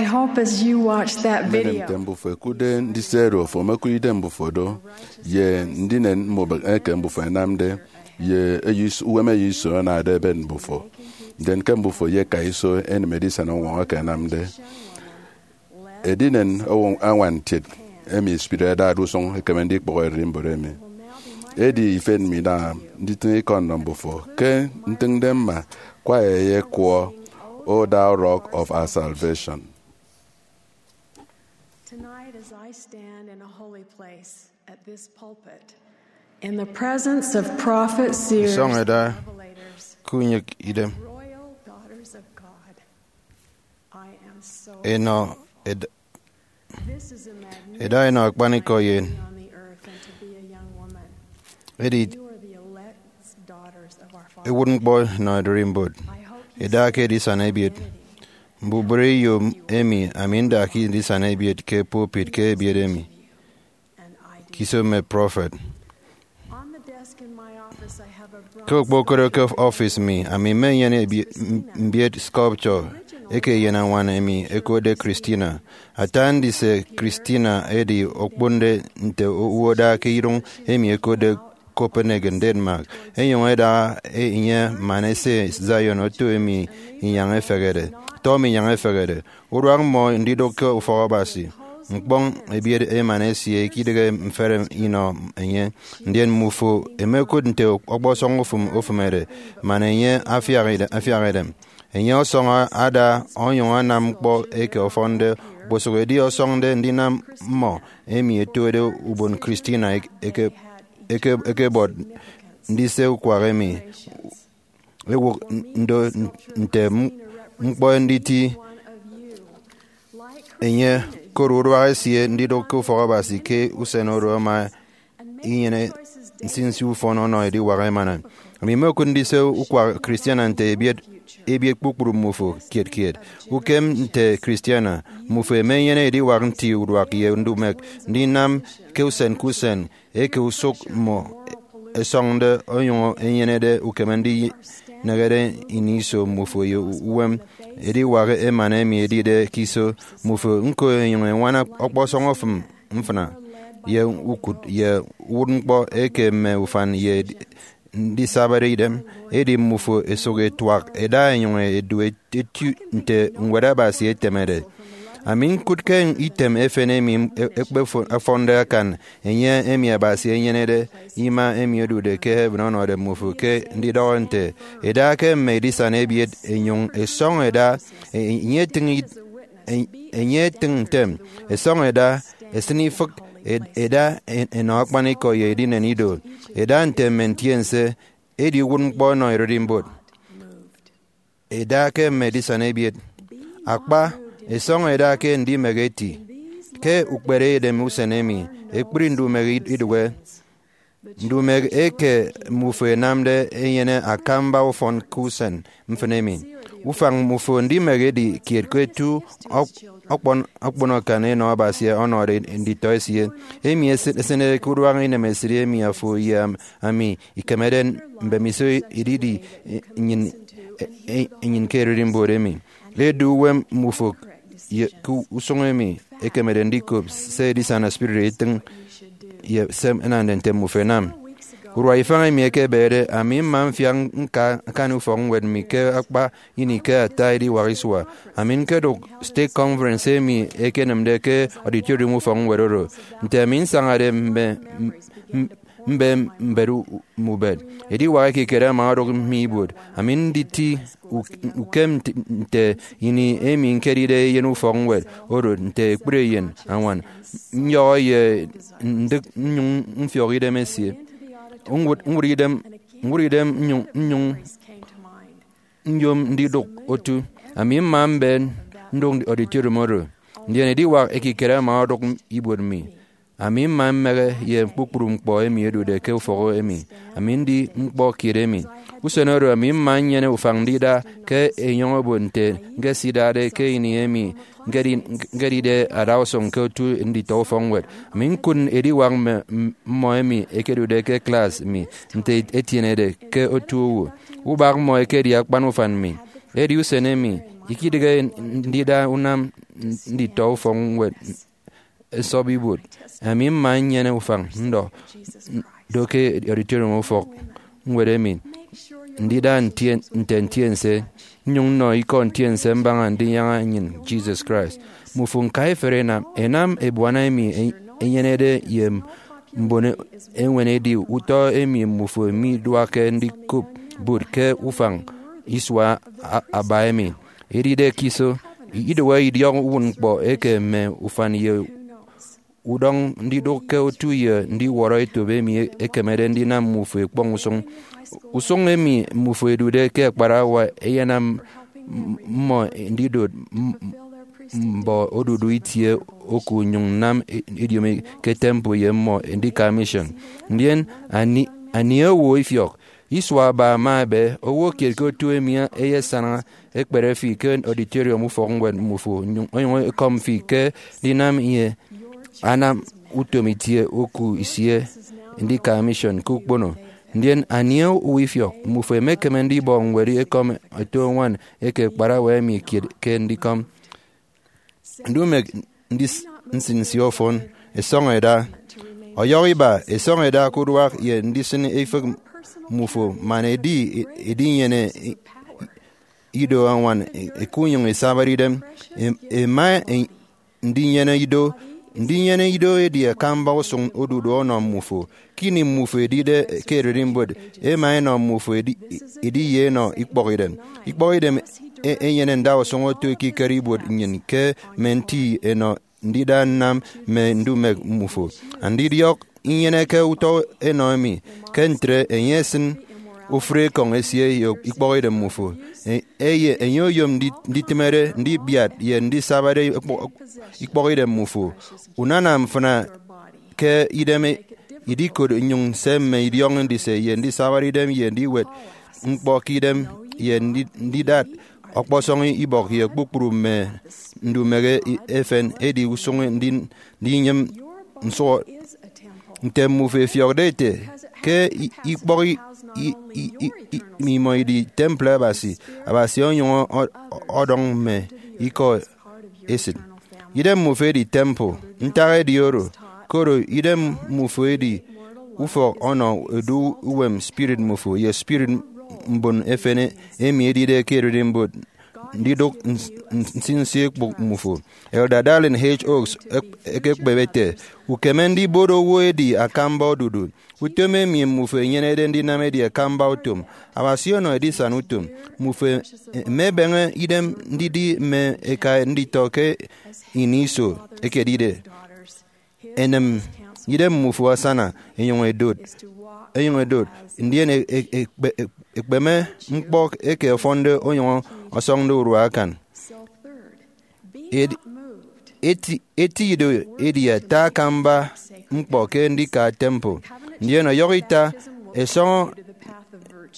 I hope as you watch that video, nte mbufo ekudde ndise oro, ofo omekudde mbufo do, ye ndinen mbubịk eke mbufo ẹnamde, ye eyo is- uwem eyo iso anade ebet mbufo. Ndien ke mbufo ye eka iso enem edisana uñwọñọ eke ẹnamde, edinen owo añwan ntiet emi spirit adade usụñ ekeme ndikpọhọ ererimbot emi. Edi ifen mi da nditịñ ikọ nnọ mbufo ke ntịñde mma, kwa eyekwọ, O thou rock of our salvation. Tonight, as I stand in a holy place at this pulpit, in the presence of prophets, seers, Isọñ ẹda and revelators, ke unyek idem, royal daughters of God, I am so enọ ed- this is a magnificent eda enọ akpanikọ ye sight to be on the earth and to be a young woman. Edi you are the elect daughters of our Father. Ewụt ñkpọ nọ ererimbot, I hope you eda ke edisana ebiet. Mbubịre iyom emi ami nda ke ndisana ebiet ke pulpit ke ebiet emi, ke iso mme prọfet. On the desk in my office, I have a ke okpokoro ke ọfis mi, ami mmenyene ebi- m- mbiet sculpture eke eyen añwan emi ẹkotde Christina. Ata ndise Christina edi okponde nte owo ada ke iduñ emi ẹkotde Copenhagen, Denmark. Enyụñ ẹda enye man ese Zion oto emi inyañ efehede, tọ emi inyañ efehede. Uduak mmọ ndidụk ke ufọk Abasi. Ñkpọñ ebiet eman esie ikidịghe mfere inọ enye. Ndien mmufo emekụt nte ọkpọsọñ ofụm ofụmede, man enye afiak ide- afiak idem. Enye ọsọñ ada onyụñ anam ñkpọ eke ọfọnde okposụk edi ọsọñde ndinam mmọ emi ẹtode ubon Christina eke- eke- eke- ekebọt ndise ukwak emi. Ewụk ndo nte m- ñkpọ nditi enye, koro uduak esie ndidụk ke ufọk Abasi ke usen oro ama inyene nsinsi ufọn ọnọ ediwak emana. Ami mmokụt ndise ukwak Christiana nte ebiet ebiet kpukpru mmufo kiet kiet. Ukem nte Christiana, mmufo emenyene ediwak nti uduak ye ndumek ndinam ke usen ke usen, eke usụk mmọ ẹsọñde onyụñ enyenede ukeme ndinehede ini iso mmufo ye uwem ediwak emana emi edide ke iso mmufo. Ñko, enyụñ eñwana ọkpọsọñ ofụm mfịna ye ukụt ye uwụtñkpọ eke mme ufan ye ndisabade idem. Edi mmufo ẹsụk ẹtuak ẹda ẹnyụñ ẹdu etu nte Ñwed Abasi etemede. Ami ñkụt ke item efen emi ekpefọnde akan enye emi Abasi enyenede ima emi odude ke heaven ọnọde mmufo ke ndidọhọ nte, eda ke mme edisana ebiet, enyụñ esọñ eda, enye etịñ it- en- enye etịñ ntem, esọñ eda, esịn ifịk, ed- eda en- enọ akpanikọ ye edinen ido, eda nte mme ntiense, edi uwụtñkpọ ọnọ ererimbot. Eda ke mme edisana ebiet. Akpa, esọñ eda ke ndimehe eti. Ke ukpere edem usen emi, ekpri ndumehe idụhe. Ndumehe eke mmufo enamde enyene akamba ufọn ke usen mfịn emi. Ufañ mmufo ndimehe edi kiet ke etu ọk- ọkpọn- ọkpọnọkan enọ Abasi ọnọde nditọ esie. Emi ese- esịnede ke uduak inemesịt emi afo ye am- ami ikemede mbemiso ididi nnyịn, e- e- nnyịn ke ererimbot emi. Edu uwem mmufo ye ke usụñ emi ekemede ndikop se edisana spirit etịñ ye se ẹnamde nte mmufo ẹnam. Urua ifañ emi ekebede, ami mma mfiak ñka ñkani ufọkñwed mi ke akpa ini ke ata ediwak isua. Ami ñkedụk stake conference emi ekenịmde ke auditorium ufọkñwed oro. Nte ami nsañade mme, m- m- mbe mbet u- mme ubet. Ediwak ekikere ama odụk mi ibuot. Ami nditi u- ukem nte- nte ini emi ñkedide eyen ufọkñwed oro nte ekpri eyen añwan. Nyọhọ ye ndịk nnyụñ mfiọk idem esie. Ñwụt ñwụt idem ñwụt idem nnyụñ nnyụñ nyom ndidụk otu. Ami mma mbe ndụk auditorium oro. Ndien ediwak ekikere ama odụk ibuot mi. Ami mma mmehe ye kpukpru ñkpọ emi edude ke ufọk emi. Ami ndi ñkpọ kiet emi. Usen oro ami mma nnyene ufañ ndida ke enyọñ obot nte ñkesidade ke ini emi ñkedi- ñkedide adausụñ ke otu nditọ ufọkñwed. Ami ñkụt ediwak mme m- mmọ emi ẹkedude ke klas mi nte etienede ke otu owo. Ubak mmọ ekedi akpan ufan mi. Edi usen emi Ikidịghe ndida unam nditọ ufọkñwed nsọp ibuot, ami mma nnyene ufañ ndọ do ke auditorium ufọkñwed emi, ndida ntie- nte ntiense, nnyụñ nnọ ikọ ntiense mbaña ndinyaña nnyịn Jesus Christ. Mmufo ñka ifere ẹnam, ẹnam ebuana emi enyenede ye mbon eñwen edi utọ emi mmufo miduakke ndikop bụt ke ufañ isua a- aba emi. Edide ke iso, idoho idiọk uwụtñkpọ eke mme ufan ye udọñ ndidụk ke otu ye ndiwọrọ etop emi ekemede ndinam mmufo ekpọñ usụñ. Usụñ emi mmufo ẹdude ke akparawa eyenam m- mmọ ndidot m- mbọ odudu itie oku nnyụñ nnam ediomi ke temple ye mmọ ndika mission. Ndien ani, ani owo ifiọk isua aba ama ebe, owo kiet ke otu emi eyesana ekpere fi ke auditorium ufọkñwed mmufo, onyụñ ekọm fi ke ndinam ye anam utom itie oku isie ndika mission ke ukpono. Ndien ani owo ifiọk, mmufo emekeme ndibọ ñwed ekọm eto ñwan eke akparawa emi kiet ke ndikọm. Ndumek ndis- nsinsi ọfọn, esọñ eda. Ọyọhọ iba, esọñ eda ke uduak ye ndisịn ifịk mmufo man edi edinyene ido añwan ekunyụñ isabade idem. Em- ema ndinyene ido. Ndinyene ido edi akamba usụñ odudu ọnọ mmufo. Ke ini mmufo edide ke ererimbot, ema enọ mmufo edi- ediye enọ ikpọkidem. Ikpọkidem e- enyene ndausụñ oto ekikere ibuot nnyịn ke mme nti enọ ndida nnam mme ndumek mmufo. Andidiọk inyeneke utọ enọ emi, ke ntre enye esịn ofụri ekọñ esie ye ikpọkidem mmufo. E- eye enye oyom ndi- nditịmede ndibiat ye ndisabade ikpọ- ikpọkidem mmufo. Unana mfịna ke idem idikot nnyụñ se mme idiọk ndise ye ndisabade idem ye ndiwet ñkpọ ke idem ye ndi- ndidat ọkpọsọñ ibọk ye kpukpru mme ndumehe efen edi usụñ ndi- ndinyịm nsụhọ. Nte mmufo efiọkde ete ke i- ikpọk i- i- i- i- i- imọ idi temple Abasi, Abasi onyụñ ọ- ọdọñ mme ikọ esịt. Idem mmufo edi temple. Ntak edi oro, koro idem mmufo edi ufọk ọnọ edu uwem spirit mmufo ye spirit mbon efen emi edide ke ererimbot ndidụk ns- ns- nsinsi ekpụk mmufo. Elder Dallin H. Oaks ek- ekekpebe ete, ukeme ndibot owo edi akamba odudu. Utom emi mmufo enyenede ndinam edi akamba utom. Abasi ọnọ edisana utom. Mmufo emebeñe idem ndidi mme eka nditọ ke ini iso ekedide. Enem, idem mmufo asana, enyụñ edot, enyụñ edot, ndien e- e- ekpe- e- ekpeme ñkpọ eke ọfọnde onyụñ ọsọñde urua akan. Ed- eti- eti ido edi ata akamba ñkpọ ke ndika temple, ndien ọyọhọ ita esọñọ,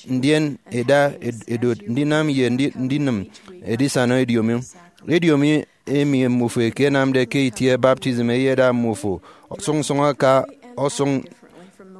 ndien eda ed- edot ndinam ye ndi- ndinịm edisana ediomi. Ediomi emi mmufo ekenamde ke itie baptism eyeda mmufo ọsụñsụñ aka ọsụñ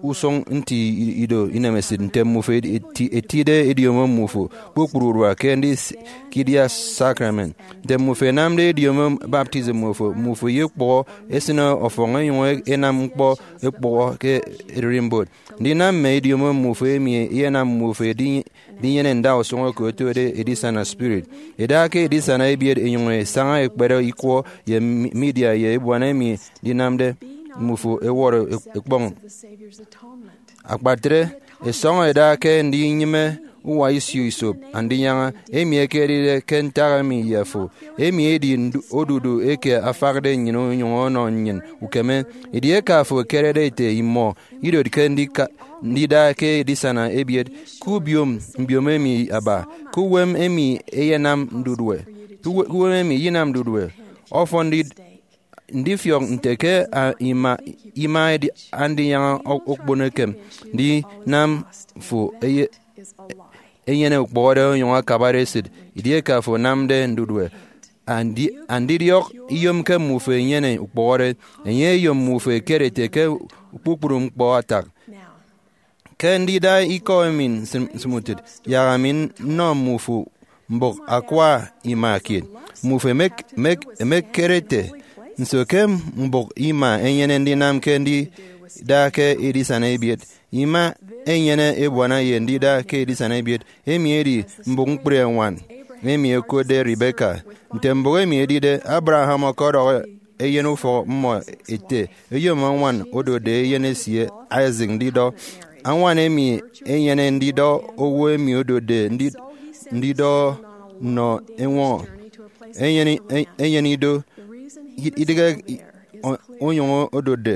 usụñ nti ido inemesịt nte mmufo eti- etide ediomo mmufo kpukpru urua ke ndikidia sacrament. Nte mmufo enamde ediomo baptism mmufo, mmufo ye ukpọhọ esịne ọfọñ enyụñ enam ñkpọ ekpụhọ ke ererimbot. Ndinam mme ediomo mmufo emi eyenam mmufo edi- edinyene ndausụñ eke otode edisana spirit. Eda ke edisana ebiet enyụñ esaña ekpere ikwọ ye mi- media ye ebuana emi ndinamde mmufo ewọrọ ek- ekpọñ. Akpatre, esọñọ eda ke ndinyịme uwa isio isop Andinyaña, emi ekedide ke ntak emi ye afo. Emi edi ndu- odudu eke afakde nnyịn onyụñ ọnọ nnyịn ukeme. Edieke afo ekerede ete imọ idotke ndika- ndida ke edisana ebiet, ke ubiom mbiom emi aba, ke uwem emi eyenam ndudue, ke uwe- ke uwem emi eyenam ndudue, ọfọn ndi- ndifiọk nte ke a- ima ima edi Andinyaña o- okpon ekem ndinam fo eye- enyene ukpọhọde onyụñ akabare esịt edieke afo anamde ndudue. Andi- andidiọk iyomke mmufo enyene ukpọhọde, enye eyom mmufo ekere ete ke kpukpru ñkpọ atak. Ke ndida ikọ emi nsịm- nsịmutịt, yak ami nnọ mmufo mbụk akwa ima kiet. Mmufo emek-, mek-, emekere ete, "Nso ke mbụk ima enyene ndinam ke ndida ke edisana ebiet? Ima enyene ebuana ye ndida ke edisana ebiet." Emi edi mbụk ñkpri eñwan emi ẹkotde Rebecca. Nte mbụk emi edide, Abraham ọkọdọhọ eyen ufọk mmọ ete, "Eyom añwan odotde eyen esie Isaac ndidọ." Añwan emi enyene ndidọ owo emi odotde ndi-, ndidọ nnọ eñwọñọ. Enyene, e-, enyene ido, i-, idịghe i-, o-, onyụñ odotde.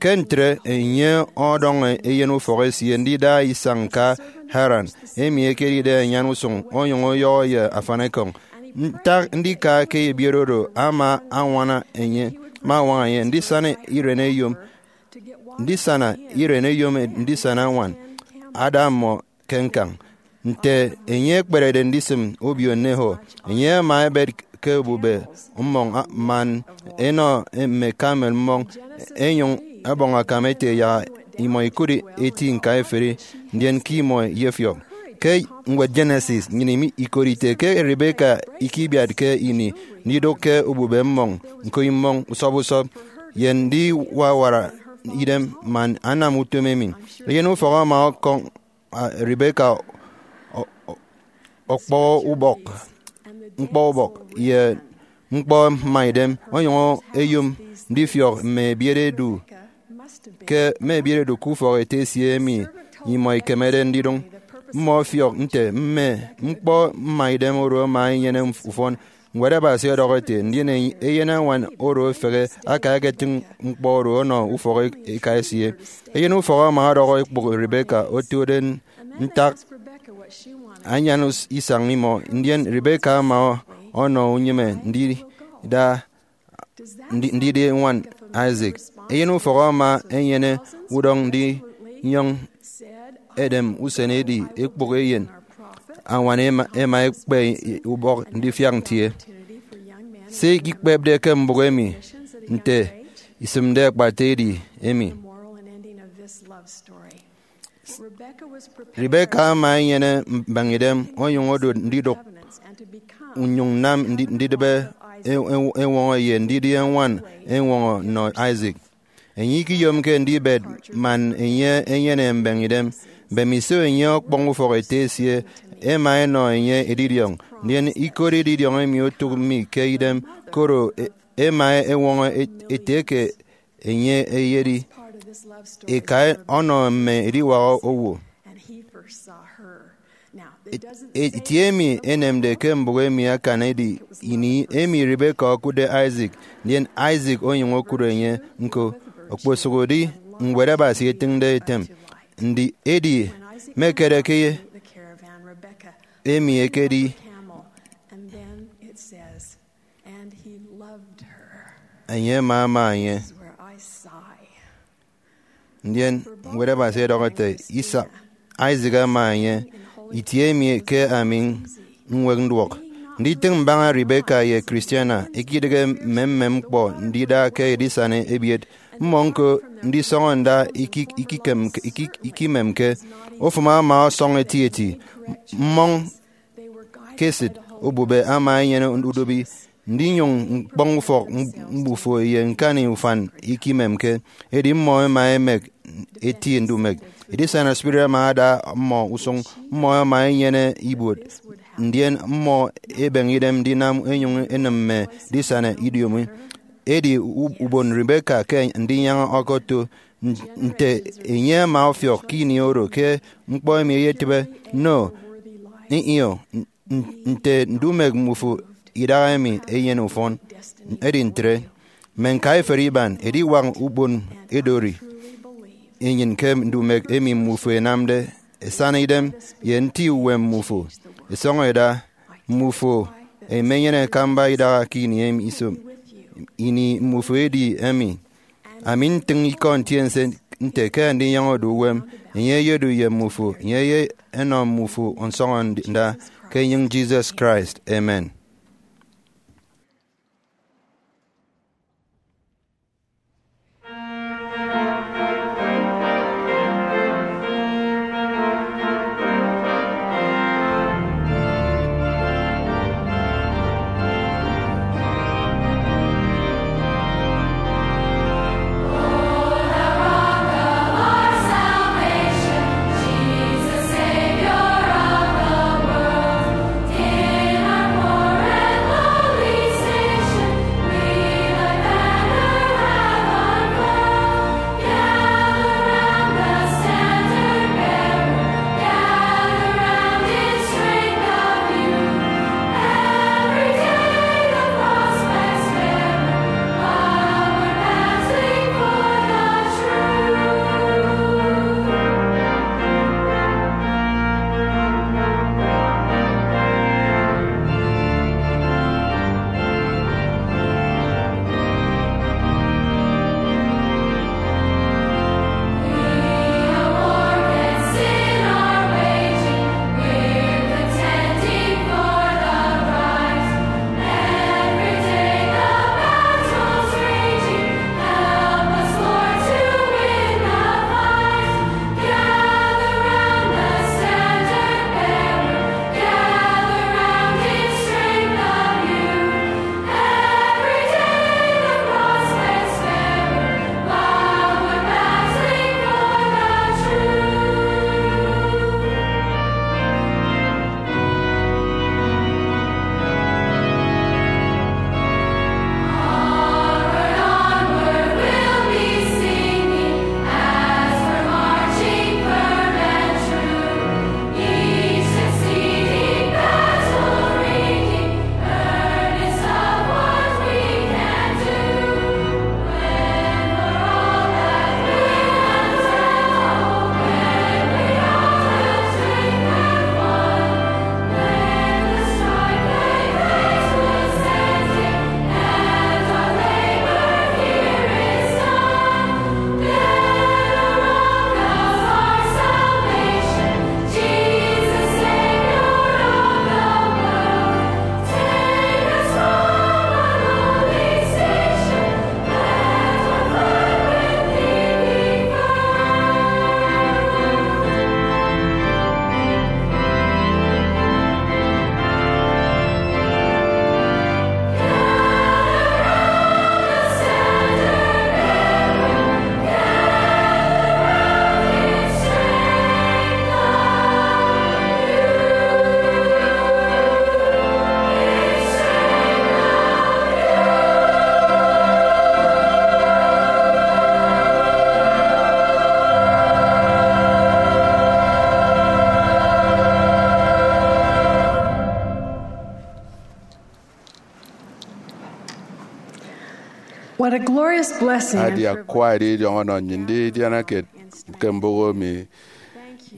Ke ntre, enye ọdọñọ eyen ufọk esie ndida isañ ka Haran, emi ekedide anyan usụñ, onyụñ ọyọhọ ye afanikọñ. Ntak ndika ke ebiet oro ama añwana enye, ama añwaña enye ndisana iren eyom, ndisana iren eyom ndisana añwan, ada mmọ ke ñkañ. Nte enye ekperede ndisịm obio Nahor, enye ama ebet ke obube mmọñ, a-, man enọ mme camel mmọñ, enyụñ ẹbọñ akam ete yak imọ ikụt eti ñkaiferi, ndien ke imọ iyefiọk. Ke ñwed Genesis, nnyịn imi-, ikot ite ke Rebecca ikibiatke ini ndidụk ke obube mmọñ ñko imọñ usọp usọp, ye ndiwawara idem man anam utom emi. Eyen ufọk ama ọkọñ, a, Rebecca ọ-, ọ-, ọkpọ ubọk, ñkpọ ubọk, ye ñkpọ mma idem, onyụñ eyom ndifiọk mme ebiet edu ke, mme ebiet edu ke ufọk ete esie emi imọ ikemede ndidụñ. Mmọ ọfiọk nte mme ñkpọ mma idem oro ama enyene ufọn. Ñwed Abasi ọdọhọ ete, "Ndien eyen añwan oro efehe aka eketịñ ñkpọ oro ọnọ ufọk eka esie." Eyen ufọk ama ọdọhọ ekpụk Rebecca otode ntak anyan us-, isañ imọ, ndien Rebecca ama ọ-, ọnọ unyịme ndida, ndi-, ndidi ñwan Isaac. Eyen ufọk ama enyene udọñ ndinyọñ edem usen edi ekpụk eyen añwan ema, ema ekpe ubọk ndifiak ntie. Se ikikpepde ke mbụk emi nte isịmde akpata edi emi. Rebecca ama enyene mbañidem onyụñ odot ndidụk, nnyụñ nnam ndi-, ndidịbe e-, e-, eñwọñọ ye ndidi añwan eñwọñọ nnọ Isaac. Enye ikiyomke ndibet man enye enyene mbañidem. Mbemiso enye ọkpọñ ufọk ete esie, ema enọ enye edidiọñ, ndien ikot edidiọñ emi otụk mi ke idem, koro e-, ema eñwọñọ et-, ete ke enye eyedi eka ọnọ mme ediwak owo. Et-, et-, itie emi enemde ke mbụk emi akan edi ini emi Rebecca okụtde Isaac, ndien Isaac onyụñ okụt enye ñko. Okposụkedi Ñwed Abasi etịñde etem, ndi edi mekere ke emi ekedi enye ama ama enye. Ndien Ñwed Abasi ọdọhọ ete, "Isaac, Isaac ama enye, itie emi ke ami ñwek nduọk." Nditịñ mbaña Rebecca ye Christiana ikidịghe mmemmem ñkpọ ndida ke edisana ebiet. Mmọ ñko ndisọñọ nda ikik-, ikikem-, ikik-, ikimemke. Ofụm ama ọsọñ etieti. Mmọñ ke esịt obube ama enyene udobi ndinyụñ ñkpọñ ufọk mbufo ye ñkani ufan ikimemke. Edi mmọ ema emek eti ndumek. Edisana spirit ama ada mmọ usụñ. Mmọ ema enyene ibuot, ndien mmọ ebeñe idem ndinam enyụñ enịm mme edisana idiomi. Edi u-, ubon Rebecca ke ndinyaña ọkọto. N-, nte enye ama ọfiọk ke ini oro ke ñkpọ emi eyetịbe? No. Ih, ih, o. N-, n-, nte ndumek mbufo idahaemi enyene ufọn. Edi ntre, mme ñkaiferi iban ediwak ubon edori enyịn ke ndumek emi mbufo ẹnamde ẹsana idem ye nti uwem mbufo. Ẹsọñọ ẹda, mbufo ẹmenyene akamba idaha ke ini emi iso. Ini mbufo edi emi. Ami ntịñ ikọ ntiense nte ke andinyọñọde uwem, enye eyedu ye mmufo, enye eyenọ mmufo nsọñọ nda, ke enyịñ Jesus Christ. Amen. What a glorious blessing. Adi akwa idiọñọ ọnọ nnyịn ndidiana kiet ke mbụk emi.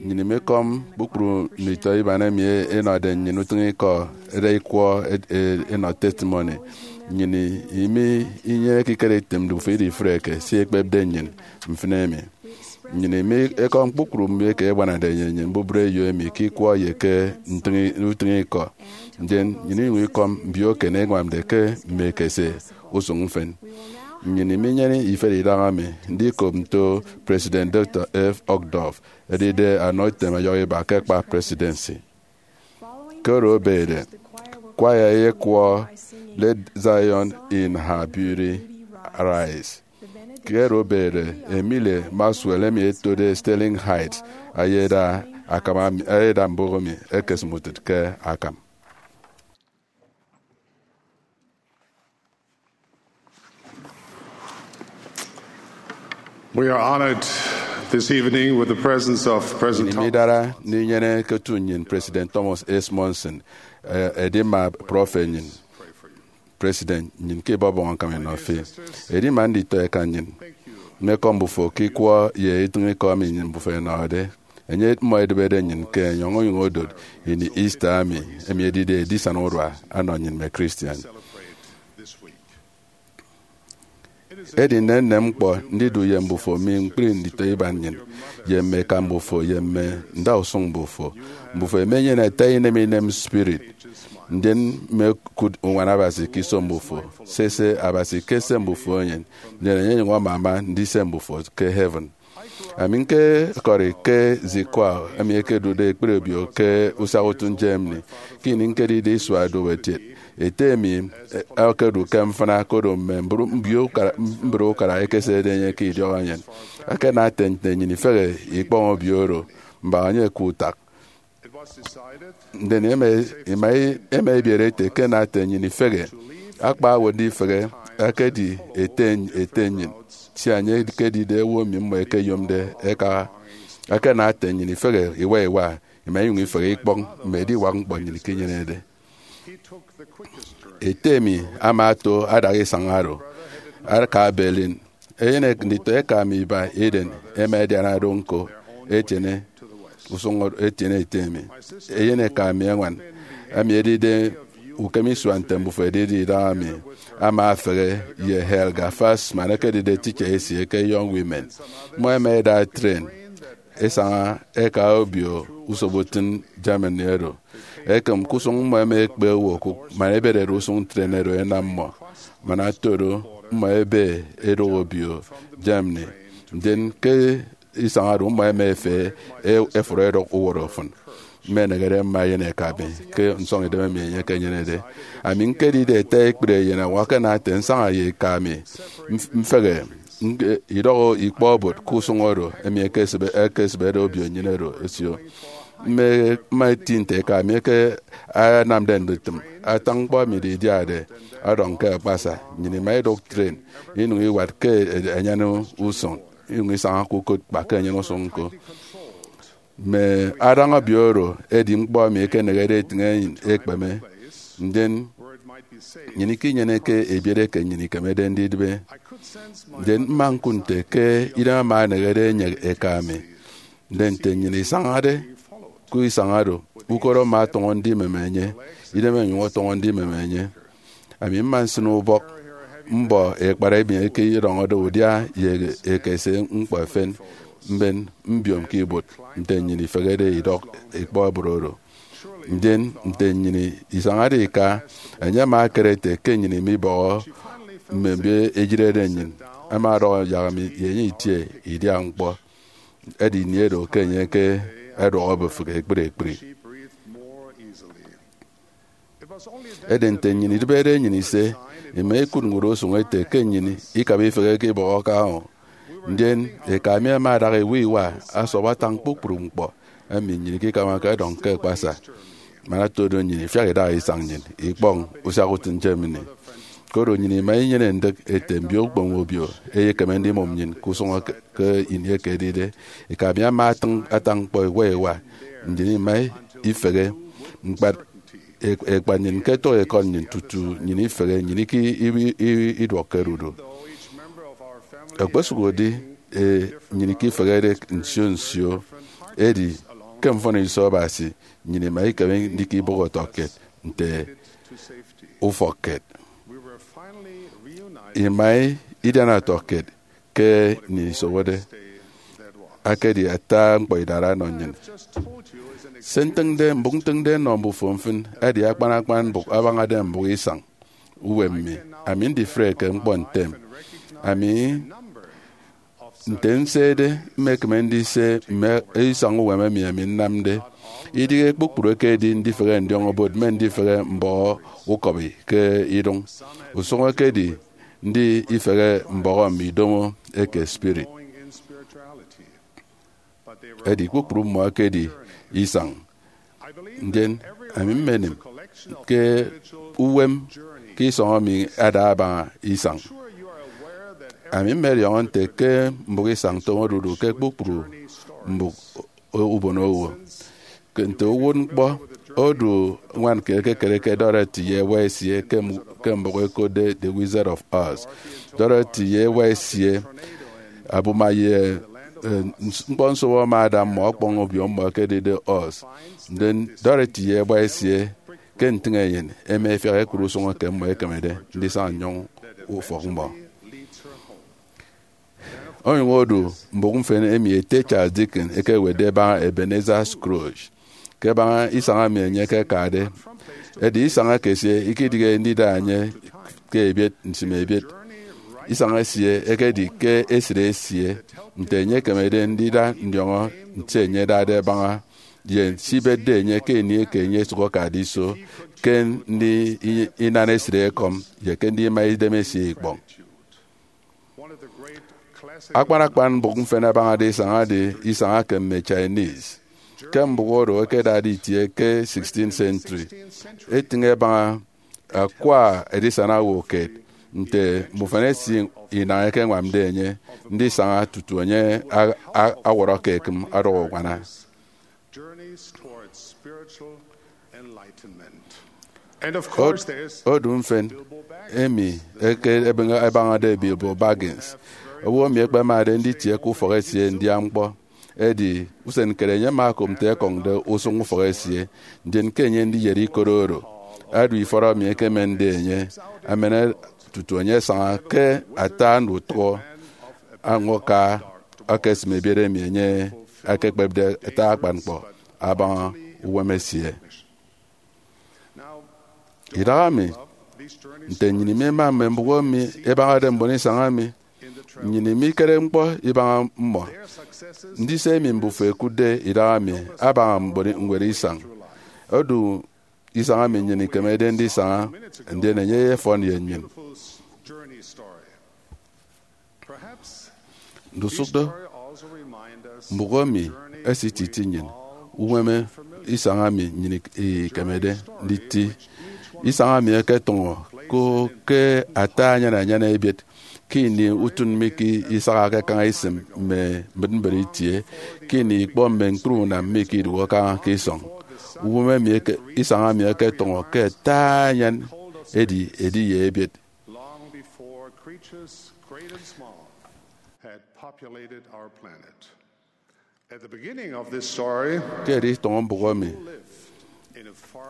Nnyịn imekọm kpukpru nditọ iban emi ẹnọde nnyịn utịñikọ ẹda ikwọ ẹnọ testimony. Nnyịn imi inyeneke ikere item mbufo idifreke se ikpepde nnyịn mfịn emi. Nnyịn imi ekọm kpukpru mbio eke ẹgbanade nnyịn nnyịn mbubreyo emi ke ikwọ ye ke utịñikọ. Ndien nnyịn inyụñ ikọm mbio eken ẹñwamde ke mme ekese usụñ mfịn. Nnyịn iminyene ifet idaha mi ndikop nto President Doctor F. Uchtdorf, edide anọ item ọyọhọ iba ke akpa presidency. Ke oro ebede, kwaya eyekwọ Let Zion in Her Beauty Arise. Ke oro ebede, Emily Maxwell emi etode Sterling Heights ayeda akam ami, ayeda mbụk emi ekesịm utịt ke akam. We are honored this evening with the presence of President Nnyịn Thomas. Midara ndinyene ke otu nnyịn President Thomas S. Monson, eh, edima prọfet nnyịn, President nnyịn ke ibọbọñ akam inọ fi. Edima nditọ eka nnyịn, mmekọ mbufo ke ikwọ ye itịñ ikọ emi nnyịn mbufo ẹnọde. Enye mmọ edịbede nnyịn ke enyọñ onyụñ odot ini Easter emi, emi edide edisana urua ọnọ nnyịn mme Christian. Edi nnennen ñkpọ ndidu ye mbufo mi ñkpri nditọ iban nnyịn, ye mme eka mbufo, ye mme ndausụñ mbufo. Mbufo emenyene ata inem inem spirit, ndien mmekụt uñwana Abasi ke iso mbufo. Sese, Abasi ke se mbufo enyịn, ndien enye enyụñ amama ndise mbufo ke heaven. Ami ñkekọri ke Zwickau, emi ekedude ekpri obio ke usiakutu Germany, ke ini ñkedide isua duobuot kiet. Ete mi, eh, okedu ke mfịna, koro mme mbru-, mbio ukara, mbre ukara ekeserede enye ke idiọk enyịn. Akana ete nte nnyịn ifehe ikpọñ obio oro, mbaña enye ke utak. Ndien ema, ema, ema ebiere ete ke ana ete nnyịn ifehe, akpa owo ndifehe, akedi ete, ete nnyịn, sia enye ekedide owo emi mmọ ẹkeyomde ẹka. Akana ete nnyịn ifehe iwa iwa, ima inyụñ ifehe ikpọñ mme ediwak ñkpọ nnyịn ikenyenede. Ete mi ama ato adaha isañ oro, aka Berlin. Eyen nditọ eka mi iba eden ema ediana do ñko, etiene usụñ oro, etiene ete mi. Eyen eka mi eñwan, emi edide ukem isua nte mbufo edide idaha mi, ama efehe ye Helga Fassmann, ekedide teacher esie ke Young Women. Mmọ ema eda tren esaña eka obio usoputịn Germany oro. Ekem ke usụñ mmọ ema ekpe owo okụk man eberede usụñ tren oro enam mmọ. Man ato do, mmọ ebe edụk obio Germany. Ndien ke isañ oro, mmọ ema efe e-, efụrọ edọk uwọrọ ofụn. Mmeneghere mme eyen eka mi ke nsọñidem emi enye ekenyenede. Ami ñkedide ete ekpri eyen, akana ete nsaña ye eka mi mf-, mfehe, ñke idọhọ ikpọ obot ke usụñ oro emi ekesịbe-, ekesịbede obio nnyịn oro esio. Mme, mme eti nte eka mi eke anamde ndutịm ata ñkpọ emi idiade ọdọñ ke akpasa. Nnyịn ima idụk tren, inyụñ iwat ke e-, enyene usụñ, inyụñ isaña ke ukot kpa ke enyene usụñ ñko. Mme adaña obio oro edi ñkpọ emi ekenehede etịñ enyịn ekpeme, ndien nnyịn ikinyeneke ebiet eke nnyịn ikemede ndidịbe. Ndien mma ñkụt nte ke idem ama enehede enye eka mi. Ndien nte nnyịn isañade ke isañ oro, ukot ama ọtọñọ ndimeme enye, idem enyụñ ọtọñọ ndimeme enye. Ami mma nsịn ubọk mbọ ekpara emi eke idọñọde udia ye ekese ñkpọ efen, mben mbiom ke ibuot nte nnyịn ifehede idọk ikpọ obot oro. Ndien nte nnyịn isañade ika, enye ama ekere ete ke nnyịn imibọhọ mme mbio eyịrede nnyịn. Ama ọdọhọ yak mi ye enye itie idia ñkpọ. Edi ini oro ke enye ke ẹduọk obụfịk ekpri ekpri. Edi nte nnyịn idịbede nnyịn ise, ima ikụt ñwụre usụñ ete ke nnyịn ikabade ifehe ke ibọhọke ahụ. Ndien eka mi ama adaha iwa iwa asọp atañ kpukpru ñkpọ emi nnyịn ikikabake ọdọñ ke akpasa. Man ato do, nnyịn ifiak idaha isañ nnyịn ikpọñ usiakutu Germany. Koro nnyịn ima inyene ndịk ete mbio ukpono obio eyekeme ndimụm nnyịn ke usụñ eke, ke ini eke edide. Eka mi ama atịñ ata ñkpọ iwa iwa, nnyịn ima ifehe. Ñkpat, e-, ekpat nnyịn ke etọk ekọt nnyịn tutu nnyịn ifehe, nnyịn iki ibi-, ibi-, iduọkke dudu. Ekpesụkde nnyịn ke ifehede nsio nsio, edi ke mfọniso Abasi, nnyịn ima ikeme ndika ibọhọ ọtọkiet nte ufọkkiet. Ima idiana ọtọkiet ke nnyịn isowode. Akedi ata ñkpọ idara ọnọ nnyịn. Se ntịñde, mbụk ntịñde nnọ mbufo mfịn edi akpan akpan mbụk abañade mbụk isañ uwem mi. Ami ndifreke ñkpọ ntem. Ami nte nsede, mmekeme ndise mme isañ uwem emi ami nnamde. Idịghe kpukpru ekedi ndifehe ndiọñọ-obot mme ndifehe mbọhọ ukọbi ke idụñ. Usụñ ekedi ndifehe mbọhọ mme idomo eke spirit. Edi kpukpru mmọ ẹkedi isañ. Ndien ami mmenịm ke uwem ke isọñ emi ada abaña isañ. Ami mmediọñọ nte ke mbụk isañ toñode odu ke kpukpru mbụk ubonowo. Ke nte uwụtñkpọ, odu ñwan kiet ekekere ke Dorothy ye ewa esie ke m-, ke mbụk ẹkotde The Wizard of Oz. Dorothy ye ewa esie, abuma ye, eh, ns-, ñkpọnsobo ama ada mmọ ọkpọñ obio mmọ ẹkedide Oz. Ndien Dorothy ye ewa esie ke ntịñ enyịn ẹma ẹfiak ẹkụt usụñ eke mmọ ẹkemede ndisaña nnyụñ ufọk mmọ. Onyụñ odu mbụk mfịn emi ete Charles Dickens ekewetde ẹbaña Ebenezer Scrooge, ke ẹbaña isañ emi enye ekekade. Edi isañ ekesie ikidịghe ndida enye ke ebiet nsịm ebiet. Isañ esie ekedi ke esịt esie nte enye ekemede ndida ndiọñọ nte enye adade abaña ye se ibetde enye ke ini eke enye esụk akade iso, ke ndi i-, inan esịt ekọm, ye ke ndi ima idemesie ikpọñ. Akpan akpan mbụk mfịn abañade isañ edi isañ eke mme Chinese. Ke mbụk oro ẹkedade itie ke sixteenth century, etịñ ẹbaña akwa edisana owo kiet nte mbufan esie inañ ẹkeñwamde enye ndisaña tutu enye a-, a-, awọrọ ke ekịm ọdọk uñwana. Journeys Towards Spiritual Enlightenment. And of Od-, course, there is odu mfịn emi eke ebeñe-, ẹbañade Bilbo Baggins, owo emi ẹkpemade nditie ke ufọk esie ndian ñkpọ. Edi usen kere enye ama okop nte ẹkọñde usụñ ufọk esie, ndien ke enye ndiyet ikot oro, adu ifọt emi ẹkemende enye, amana tutu enye asaña ke ata ndutụhọ añwa aka, aka esịm ebiet emi enye ekekpepde ata akpan ñkpọ abaña uwem esie. Idahaemi, nte nnyịn imema mme mbụk emi ẹbañade mbon isañ emi, nnyịn imikere ñkpọ ibaña mmọ. Ndise emi mbufo ẹkụtde idahaemi abaña mbon ñwed isañ. Odu isañ emi nnyịn ikemede ndisaña, ndien enye eyefọn ye nnyịn. Ndusụk do, mbụk emi esititi nnyịn uwem isañ emi nnyịn ik-, ikemede nditi. Isañ emi eketụñọ ko ke ata anyan anyan ebiet ke ini utịn mi ke isaha ke kaña isịm mme mbịtmbịt itie, ke ini ikpọ mme ñkpri unam mi ke idụhe kaña ke isọñ. Uwem emi eke, isañ emi eketụñọ ke ata anyan edi edi ye ebiet. Long before creatures great and small had populated our planet. At the beginning of this story, ke editọñọ mbụk emi,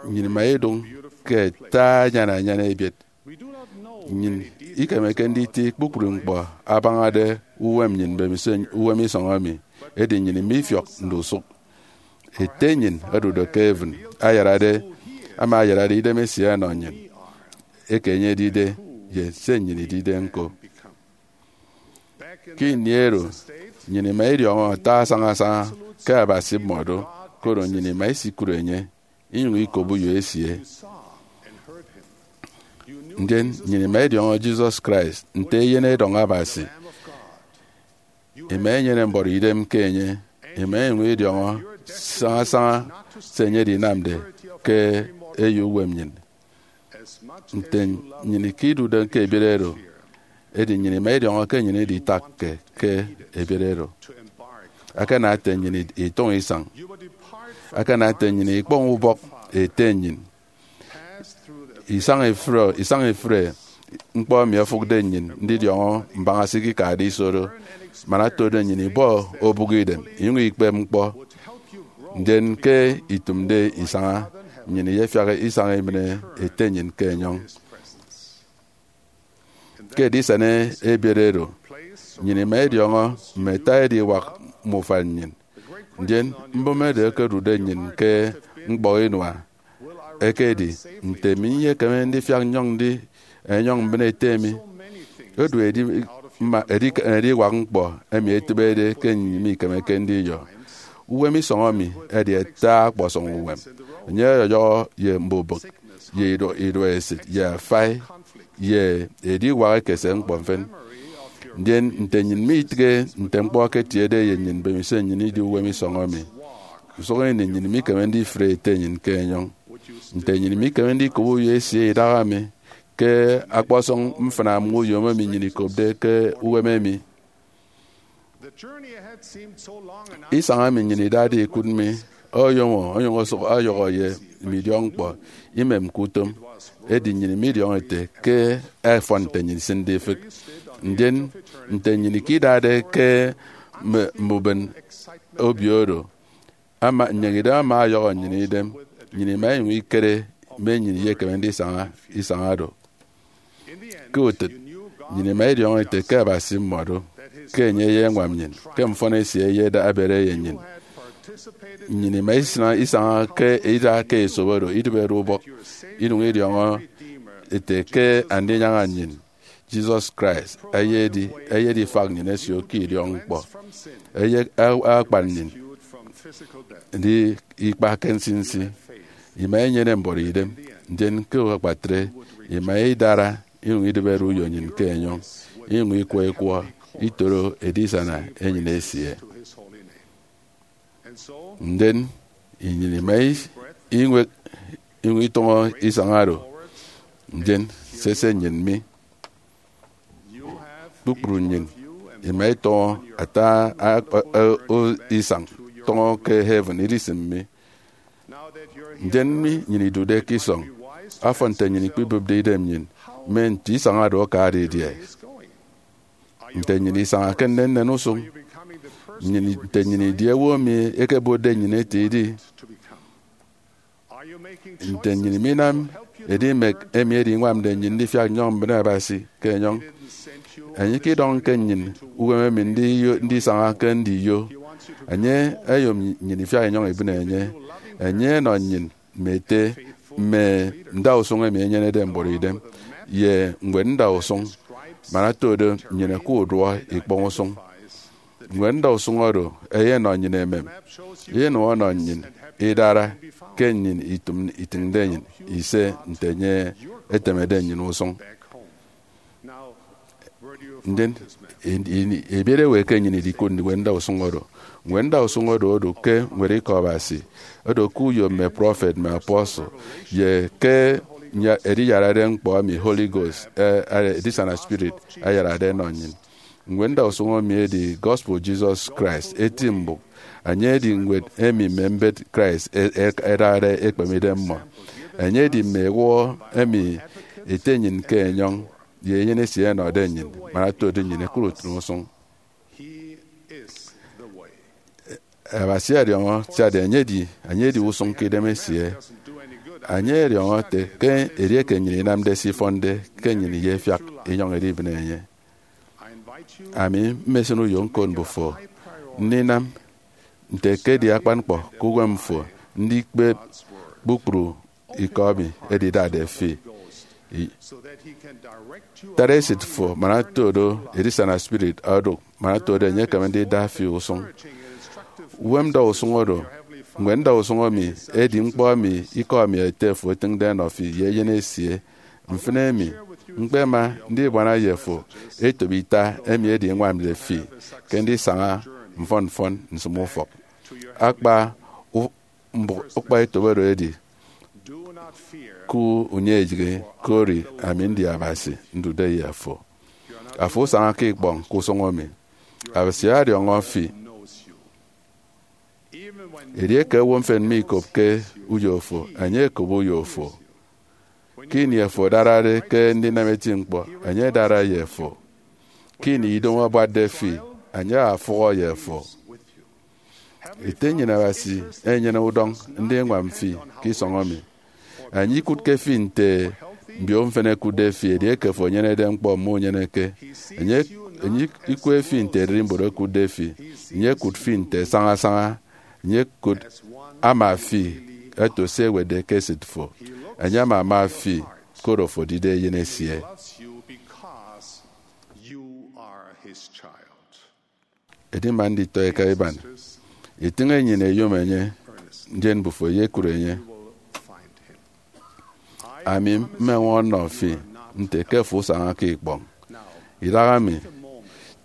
nnyịn ima idụñ ke ata anyan anyan ebiet. Nnyịn ikemeke nditi kpukpru ñkpọ abañade uwem nnyịn mbemiso uwem isọñ emi, edi nnyịn mifiọk ndusụk. Ete nnyịn odude ke heaven ayarade, ama ayarade idemesie ọnọ nnyịn, eke enye edide, ye se nnyịn idide ñko. Ke ini oro, nnyịn ima idiọñọ ata asaña asaña ke Abasi mmọ do, koro nnyịn ima isikụt enye, inyụñ ikop uyo esie. Ndien nnyịn ima idiọñọ Jesus Christ nte Eyen Edọñ Abasi. Ima inyene mbọrọ idem ke enye, ima inyụñ idiọñọ saña saña se enye edinamde ke eyo uwem nnyịn. Nte nnyịn ke idude ke ebiet oro, edi nnyịn ima idiọñọ ke nnyịn iditakke ke ebiet oro. Akana ete nnyịn itụñ isañ. Akana ete nnyịn ikpọñ ubọk ete nnyịn. Isañ ifre, isañ ifre ñkpọ emi ofụkde nnyịn ndidiọñọ mbaña se ikikade iso do, man otodo nnyịn ibọ obụk idem inyụñ ikpep ñkpọ. Ndien ke itụmde isaña, nnyịn iyefiak isaña ibịne Ete nnyịn ke enyọñ. Ke edisana ebiet oro, nnyịn ima idiọñọ mme ata ediwak mme ufan nnyịn. Ndien mbụme edu ekedude nnyịn ke ñkpọ inua ekedi, nte mi nyekeme ndifiak nnyọñ ndi enyọñ mbịne ete mi? Edu edi, mma, edi, ediwak ñkpọ emi etịbede ke nnyịn mikemeke ndiyọ. Uwem isọñọ mi edi ata ọkpọsọñ uwem. Enye ọyọyọhọ ye mbubịk, ye iduọ, iduọesịt, ye afai, ye ediwak ekese ñkpọ mfịn. Ndien nte nnyịn mitịghe nte ñkpọ eketiede ye nnyịn mbemiso nnyịn idi uwem isọñọ mi, usụk ini nnyịn mikeme ndifre ete nnyịn ke enyọñ. Nte nnyịn mikeme ndikop uyo esie idaha mi ke ọkpọsọñ mfịna mme uyom emi nnyịn ikopde ke uwem emi? Isañ emi nnyịn idade ikụt mi oyomo onyụñ osụk ọyọhọ ye mme idiọkñkpọ imemke utom, edi nnyịn midiọñọ ete ke ẹfọn nte nnyịn isịnde ifịk. Ndien nte nnyịn ikidade ke mme, mme uben obio oro, ama, nnyịn idem ama ọyọhọ nnyịn idem, nnyịn ima inyụñ ikere mme nnyịn iyekeme ndisaña isaña do. Ke utịt, nnyịn ima idiọñọ ete ke Abasi mmọdo, ke enye eyeñwam nnyịn, ke mfọn esie eyeda ebede ye nnyịn. Nnyịn ima isịn isaña ke ida ke esop oro idịbede ubọk, inyụñ idiọñọ ete ke Andinyaña nnyịn, Jesus Christ, eyedi, eyedi ifak nnyịn ẹsio ke idiọkñkpọ, eye, a-, akpan nnyịn ndi ikpa ke nsinsi. Ima inyene mbuọtidem, ndien ke akpatre, ima idara inyụñ idịbede uyo nnyịn ke enyọñ, inyụñ ikwọ ikwọ itoro edisana enyịn esie. Ndien nnyịn ima iñwek inyụñ itọñọ isañ oro, ndien sese nnyịn mi. Kpukpru nnyịn ima itọñọ ata a-, a-, a-, o-, isañ tọñọ ke heaven idisịm mi. Ndien mi nnyịn idude ke isọñ, afọn nte nnyịn ikpibụpde idem nnyịn, mme nti isañ oro aka didie? Nte nnyịn isañake nnennen usụñ? Nnyịn, nte nnyịn idi owo emi ẹkebotde nnyịn ete idi? Nte nnyịn minam edimek emi ediñwamde nnyịn ndifiak nnyọñ mbịne Abasi ke enyọñ? Enye ikidọñke nnyịn uwem emi ndiyo, ndisaña ke ndiyo. Enye oyom nnyịn ifiak inyọñ ibịne enye. Enye enọ nnyịn mme ete mme ndausụñ emi enyenede mbuọtidem, ye ñwed ndausụñ, man otodo nnyịn ẹkudụọ ikpọñ usụñ. Ñwed ndausụñ oro eyenọ nnyịn emem, eyenụñ ọnọ nnyịn idara ke nnyịn itịm, itịñde nnyịn ise nte enye etemede nnyịn usụñ. Ndien, in, in, ebiet ewe ke nnyịn idikụt ñwed ndausụñ oro? Ñwed ndausụñ oro odu ke ñwed Ikọ Abasi, odu ke uyo mme prọfet, mme apostle, ye ke nya-, ediyarade ñkpọ emi Holy Ghost, eh, eh, Edisana Spirit, ayarade enọ nnyịn. Ñwed ndausụñ emi edi Gospel Jesus Christ eti mbụk. Enye edi ñwed emi mme mbet Christ e-, e-, ẹdade ekpemidem mmọ. Enye edi mme ewụhọ emi Ete nnyịn ke enyọñ ye Eyen esie ẹnọde nnyịn, man otodo nnyịn ẹkụt utịn usụñ. Abasi ọdiọñọ, siade enye edi, enye edi usụñ ke idem esie. Enye ọdiọñọ ete ke edieke nnyịn inamde se ifọnde, ke nnyịn iyefiak inyọñ idibịne enye. Ami mmesịn uyo ñkot mbufo ndinam nte ekedi akpan ñkpọ ke uwem fo ndikpep kpukpru ikọ emi edidade fi. I-, tara esịt fo man otodo Edisana Spirit odụk, man otodo enye ekeme ndida fi usụñ. Uwem ndausụñ oro, ñwed ndausụñ emi edi ñkpọ emi ikọ emi Ete fo etịñde enọ fi ye Eyen esie. Mfịn emi, ñkpema ndibuana ye fo etop ita emi ediñwamde fi ke ndisaña mfọn mfọn nsịm ufọk. Akpa u-, mbụk ukpọetop oro edi, Ku unyịaiyịghe, kori ami ndi Abasi, ndude ye afo. Afo usañake ikpọñ ke usụñ emi. Abasi adiọñọ fi. Edieke owo mfịn mikopke uyo fo, enye ekop uyo fo. Ke ini afo adarade ke ndinam eti ñkpọ, enye adara ye afo. Ke ini idomo abuatde fi, enye afụhọ ye afo. Ete nnyịn Abasi enyene udọñ ndiñwam fi ke isọñ emi. Enye ikụtke fi nte mbio mfịn ẹkụtde fi, edieke afo enyenede ñkpọ mme unyeneke. Enye, enye ikwe fi nte ererimbot ẹkụtde fi. Enye ekụt fi nte sañasaña. Enye ekụt ama fi ẹto se ewetde ke esịt fo. Enye ama ama fi koro afo edide eyen esie. Edi man nditọ eka iban, itịñ enyịn eyom enye, ndien mbufo eyekụt enye. Ami mmeñwọñọ nnọ fi nte ke afo usañake ikpọñ. Idahaemi,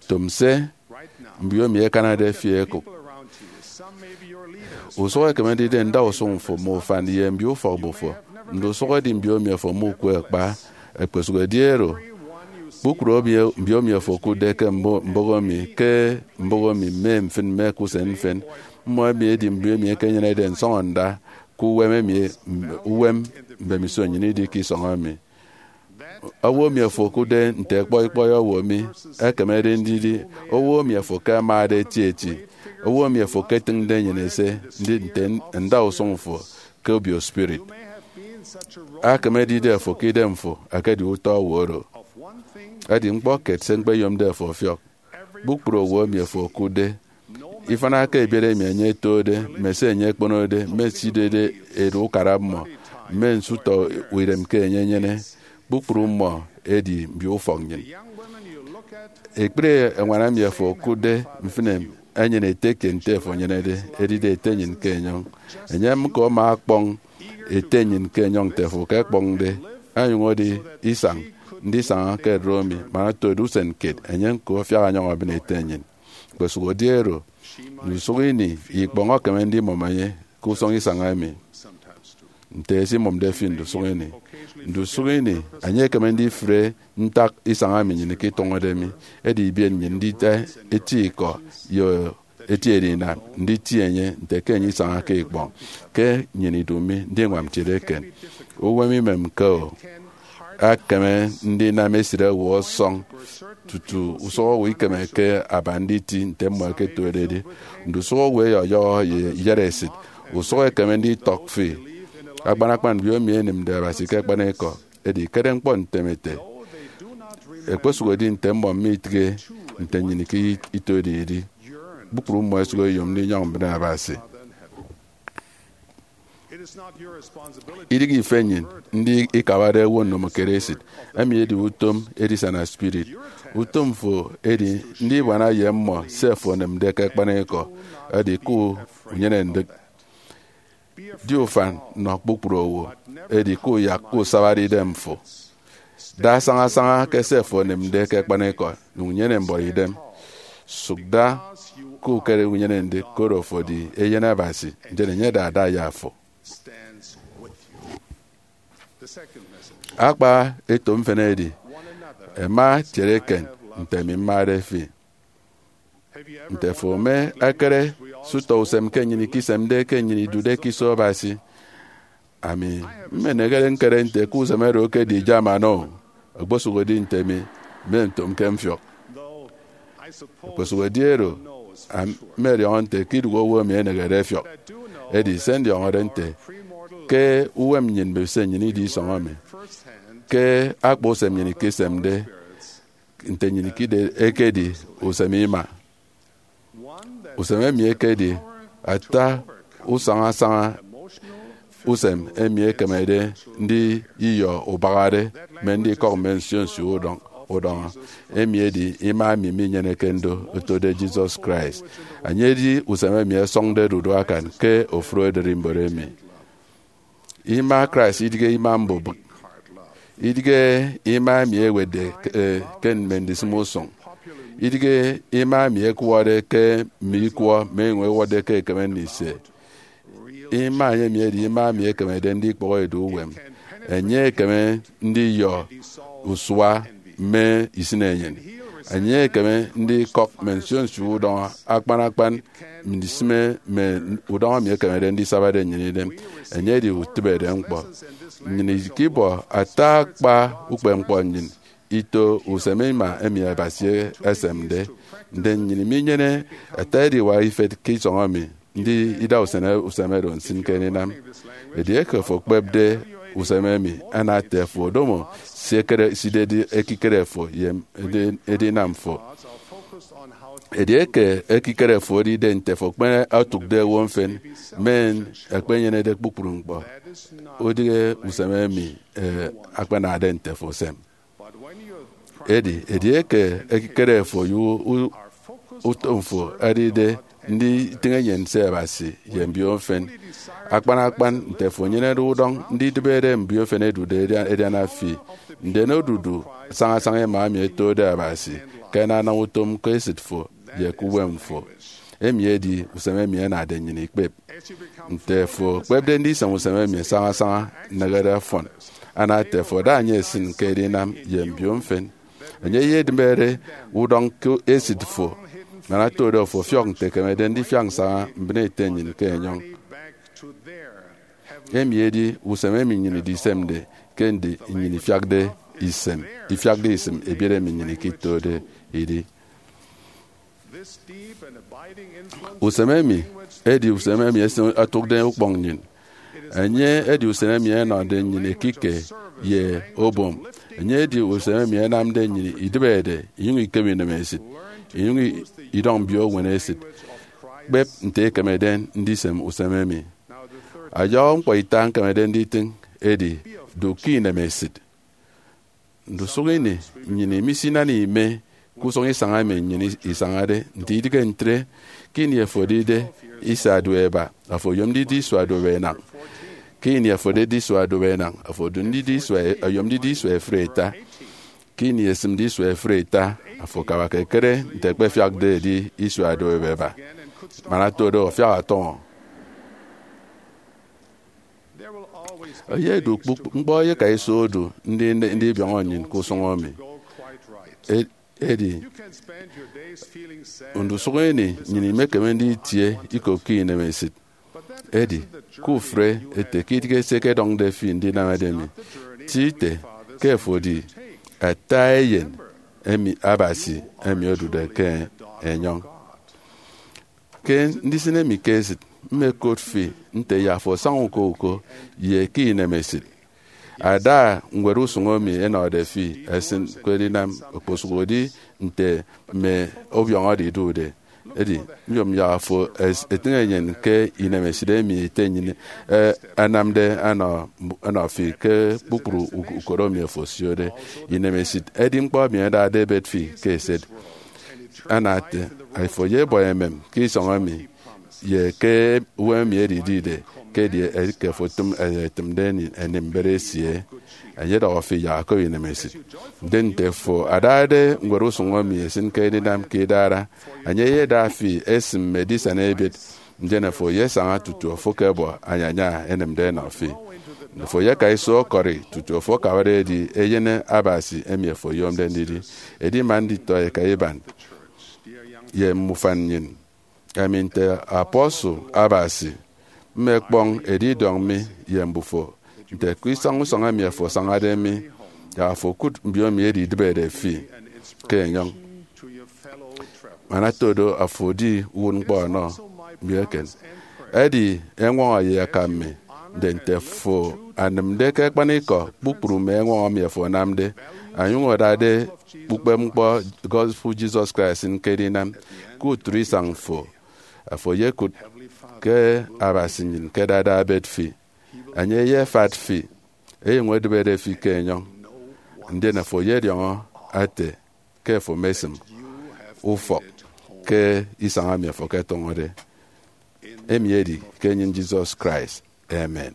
tom se mbio emi ẹkanade fi ẹkụk. Usụk ekeme ndidi ndausụñ fo mme ufan ye mbio ufọkmbo fo. Ndusụk edi mbio emi afo mukwe kpa. Ẹkpesụk edi oro, kpukpru obio-, mbio emi afo okụtde ke mbo-, mbụk emi, ke mbụk emi mme mfịn mme ke usen mfịn, mmọ emi edi mbio emi ẹkenyenede nsọñọnda ke uwem emi, uwem mbemiso nnyịn idi ke isọñ emi. Owo emi afo okụtde nte ẹkpọi ikpọi owo mi ekemede ndidi owo emi afo ke amade etieti, owo emi afo ketịñde enyịn ese ndidi nte ndausụñ fo ke obio spirit. Akam edide afo ke idemfo ekedi utọ owo oro. Edi ñkpọ kiet se ñkpeyomde afo ọfiọk. Kpukpru owo emi afo okụtde, ifịna ke ebiet emi enye etode, mme se enye ekponode, mme se idide edu ukara mmọ, mme nsu utọ idem ke enye enyene, kpukpru mmọ edi mbio ufọk nnyịn. Ekpri eñwan emi afo okụtde mfịn enyene ete kiet nte afo enyenede, edide ete nnyịn ke enyọñ. Enye ñko ama ọkpọñ ete nnyịn ke enyọñ nte afo ke ẹkpọñde, onyụñ edi isañ ndisaña ke ererimbot mi, man oto edi usen kiet, enye ñko afiak ọnyọñ obịn ete nnyịn. Kpesụk edi oro, ndusụk ini ikpọñ ekeme ndimụm enye ke usọñ isañ emi, nte esimụmde fi ndusụk ini. Ndusụk ini, enye ekeme ndifre ntak isañ emi nnyịn iketụñọde mi, edi ibiet nnyịn ndida eti ikọ ye eti edinam nditie enye nte ke enye isañake ikpọñ ke nnyịn idu mi ndiñwam ntiede eken. Uwem imemke-o. Ekeme ndinam esịt owo ọsọñ tutu usụk owo ikemeke aba nditi nte mmọ ẹketuede edi. Ndusụk owo ẹyọyọhọ ye iyatesịt. Usụk ekeme nditọk fi, akpan akpan mbiomi ẹnịmde Abasi ke akpanikọ. Edi ikere ñkpọ ntem ete, ẹkpesụk edi nte mmọ mitịghe nte nnyịn ke ituede idi, kpukpru mmọ ẹsụk ẹyom ndinyọñ mbịne Abasi. Idịghe ife nnyịn ndi ikabade owo ndomokiet esịt. Emi edi utom edisana spirit. Utom fo edi ndibuana ye mmọ se fo onịmde ke akpanikọ. Edi ke unyene ndịk. Di ufan nọ kpukpru owo, edi kuyak ke usabade idem fo. Da sañasaña ke se fo onịmde ke akpanikọ, nyụñ nyene mbuọtidem. Sụk da ke ukere unyene ndịk, koro afo edi eyen Abasi, ndien enye ada ada ye afo. Akpa eto mfịn edi, ẹma tiere eken nte ami mmade fi. Nte afo eme ekere se utọ usem ke nnyịn ikesemde ke nnyịn idude ke iso Abasi? Ami mmeneghere ñkere nte ke usem oro ekedi German-o, okposụkedi nte mi mmentomke mfiọk. Okposụkedi oro, am-, mmediọñọ nte ke idụhe owo emi enehede ẹfiọk. Edi se ndiọñọde nte ke uwem nnyịn mme se nnyịn idi isọñ emi, ke akpa usem nnyịn ikesemde, nte nnyịn ikide ekedi usem ima. Usem emi ekedi ata usaña-saña usem emi ekemede ndiyọ ubahade mme ndikọk mme nsio nsio udọñ-, udọñọ. Emi edi ima emi minyeneke ndo otode Jesus Christ. Enye edi usem emi ẹsọñde dudu akan ke ofụri ererimbot emi. Ima Christ idighe ima mbubịk. Idighe ima emi ẹwetde ke, ke mme ndisịm usụñ. Idighe ima emi ẹkwọde ke mme ikwọ mme enyịñ ẹwọtde ke ẹkeme ndise. Ima emi edi ima emi ekemede ndikpọhọ edu uwem. Enye ekeme ndiyọ usua mme isịnenyịn. Enye ekeme ndikọk mme nsio nsio udọñọ akpan akpan ndisịme mme udọñọ emi ekemede ndisabade nnyịn idem. Enye edi utịbede ñkpọ. Nnyịn ikibọ ata akpa ukpepñkpọ nnyịn ito usem ima emi Abasi esemde. Ndien nnyịn minyene ata ediwak ifet ke isọñ emi ndi ida usen usem oro nsịn ke edinam. Edieke afo okpepde usem emi, ana ete afo odomo se ekere, se idedi ekikere fo ye edi-, edinam fo. Edieke ekikere fo edide nte afo ekpeñetde otụkde owo mfịn, men ekpenyenede kpukpru ñkpọ, udịghe usem emi, eh, akpanade nte afo usem. Edi edieke ekikere fo ye u-, u-, utom fo edide nditịñ enyịn se Abasi ye mbio mfịn, akpan akpan nte afo enyenede udọñ nditịbede mbio mfịn ẹdude ẹdia-, ẹdiana fi, ndien odudu sañasaña ima emi ẹtode Abasi ke anana utom ke esịt fo ye ke uwem fo. Emi edi usem emi anade nnyịn ikpep. Nte afo okpepde ndisem usem emi sañasaña, nehede ọfọn. Ana ete afo ada enye esịn ke edinam ye mbio mfịn. Enye eyedịbere udọñ ke esịt fo, man ata do afo ọfiọk nte ekemede ndifiak nsaña mbịne ete nnyịn ke enyọñ. Emi edi usem emi nnyịn idisemde ke ndi nnyịn ifiakde isem, ifiakde isịm ebiet emi nnyịn ikitode idi. Usem emi edi usem emi esin-, otụkde ukpọñ nnyịn. Enye edi usen emi enọde nnyịn ekike ye obom. Enye edi usen emi enamde nnyịn idịbede, inyụñ ikeme inemesịt, inyụñ i-, idọñ mbio eñwen esịt. Kpep nte ekemede ndisem usem emi. Ọyọhọ ñkpọ ita ñkemede nditịñ edi, du ke inemesịt. Ndusụk ini, nnyịn misinana ime ke usụñ isañ emi nnyịn isañade. Nte idịghe ntre, ke ini afo edide isua duop eba, afo oyom ndidi isua duop enañ. Ke ini afo edide isua duop enañ, afo odu ndidi isua e-, oyom ndidi isua efụri ita. Ke ini esịmde isua efụri ita, afo akabake ekere nte ekpefiakde edi isua duop eba. Man ata do, ọfiak ọtọñọ. Eyedi kpukpru ñkpọ eyeka iso odu ndi, ndi, ndibiọñọ nnyịn ke usụñ emi. E-, edi, ndusụk ini nnyịn imekeme nditie ikopke inemesịt. Edi, kufre ete ke idịghe se ẹkedọñde fi ndinamede mi. Ti ite ke afo edi ata eyen emi Abasi emi odude ke enyọñ. Ke ndisịne mi ke esịt, mmekot fi nte yak afo asaña uko uko ye ke inemesịt. Ada ñwed usụñ emi ẹnọde fi ẹsịn ke edinam, okposụkedi nte mme ọbiọñọde idude. Edi, nyom yak afo es-, etịñ enyịn ke inemesịt emi ete nnyịn, eh, anamde anọ, anọ fi ke kpukpru uk-, ukot emi afo osiode. Inemesịt edi ñkpọ emi adade ebet fi ke eset. Ana ete, afo eyebọ emem ke isọñ emi, ye ke uwem emi edidide, ke edi eke afo tịm-, etịmde eni-, eni mbet esie. Enye ọdọhọ fi yak okop inemesịt. Ndi nte afo adade ñwed usụñ emi esịn ke edinam ke idara, enye eyeda fi esịm mme edisana ebiet, ndien afo eyesaña tutu afo ekebọ anyanya enemde enọ fi. Afo eyeka iso ọkọri tutu afo akabade edi eyen Abasi emi afo oyomde ndidi. Edi man nditọ eka iban ye mme ufan nnyịn, emi nte apostle Abasi, mme ekpọñ edidiọñ mi ye mbufo, nte ke isañ usọñ emi afo asañade mi, yak afo okụt mbio emi edidịbede fi ke enyọñ. Man ata do, afo edi uwụtñkpọ ọnọ mi eken. Edi, ẹñwọñọ ye akam mi, ndi nte afo anịmde ke akpanikọ kpukpru mme ẹñwọñọ emi afo anamde, onyụñ adade ukpepñkpọ gospel Jesus Christ ke edinam, ke utịt isañ fo, afo eyekụt ke Abasi nnyịn ke adade ebet fi. Enye eyefat fi, enyụñ edịbede fi ke enyọñ. Ndien afo eyediọñọ ete ke afo mesịm ufọk ke isañ emi afo eketọñọde. Emi edi ke enyịn Jesus Christ. Amen.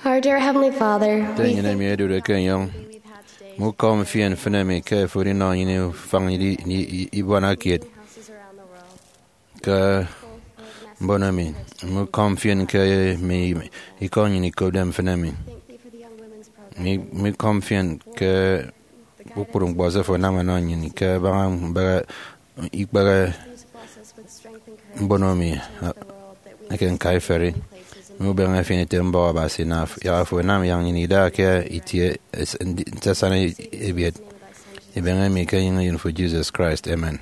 Our dear Heavenly Father, Ete we nnyịn thank emi you for edude the ke enyọñ, opportunity we've had today mme ukom mfịn mfịn emi ke ofụri nnọ nnyịn ufañ ibuana kiet ke mbon emi, mme ukom mfịn ke mme ikọ nnyịn ikopde mfịn emi, mme mme ukom mfịn ke kpukpru ñkpọ se fo anam ọnọ nnyịn ke abaña mbehe ikpehe mbon emi eke ñkaiferi, mme ubeñe efienete mbọk Abasi, na yak afo anam yak nnyịn ida ke itie es- ndi- nte asana ebiet. Ibeñe mi ke enyịñ eyen fo, Jesus Christ. Amen.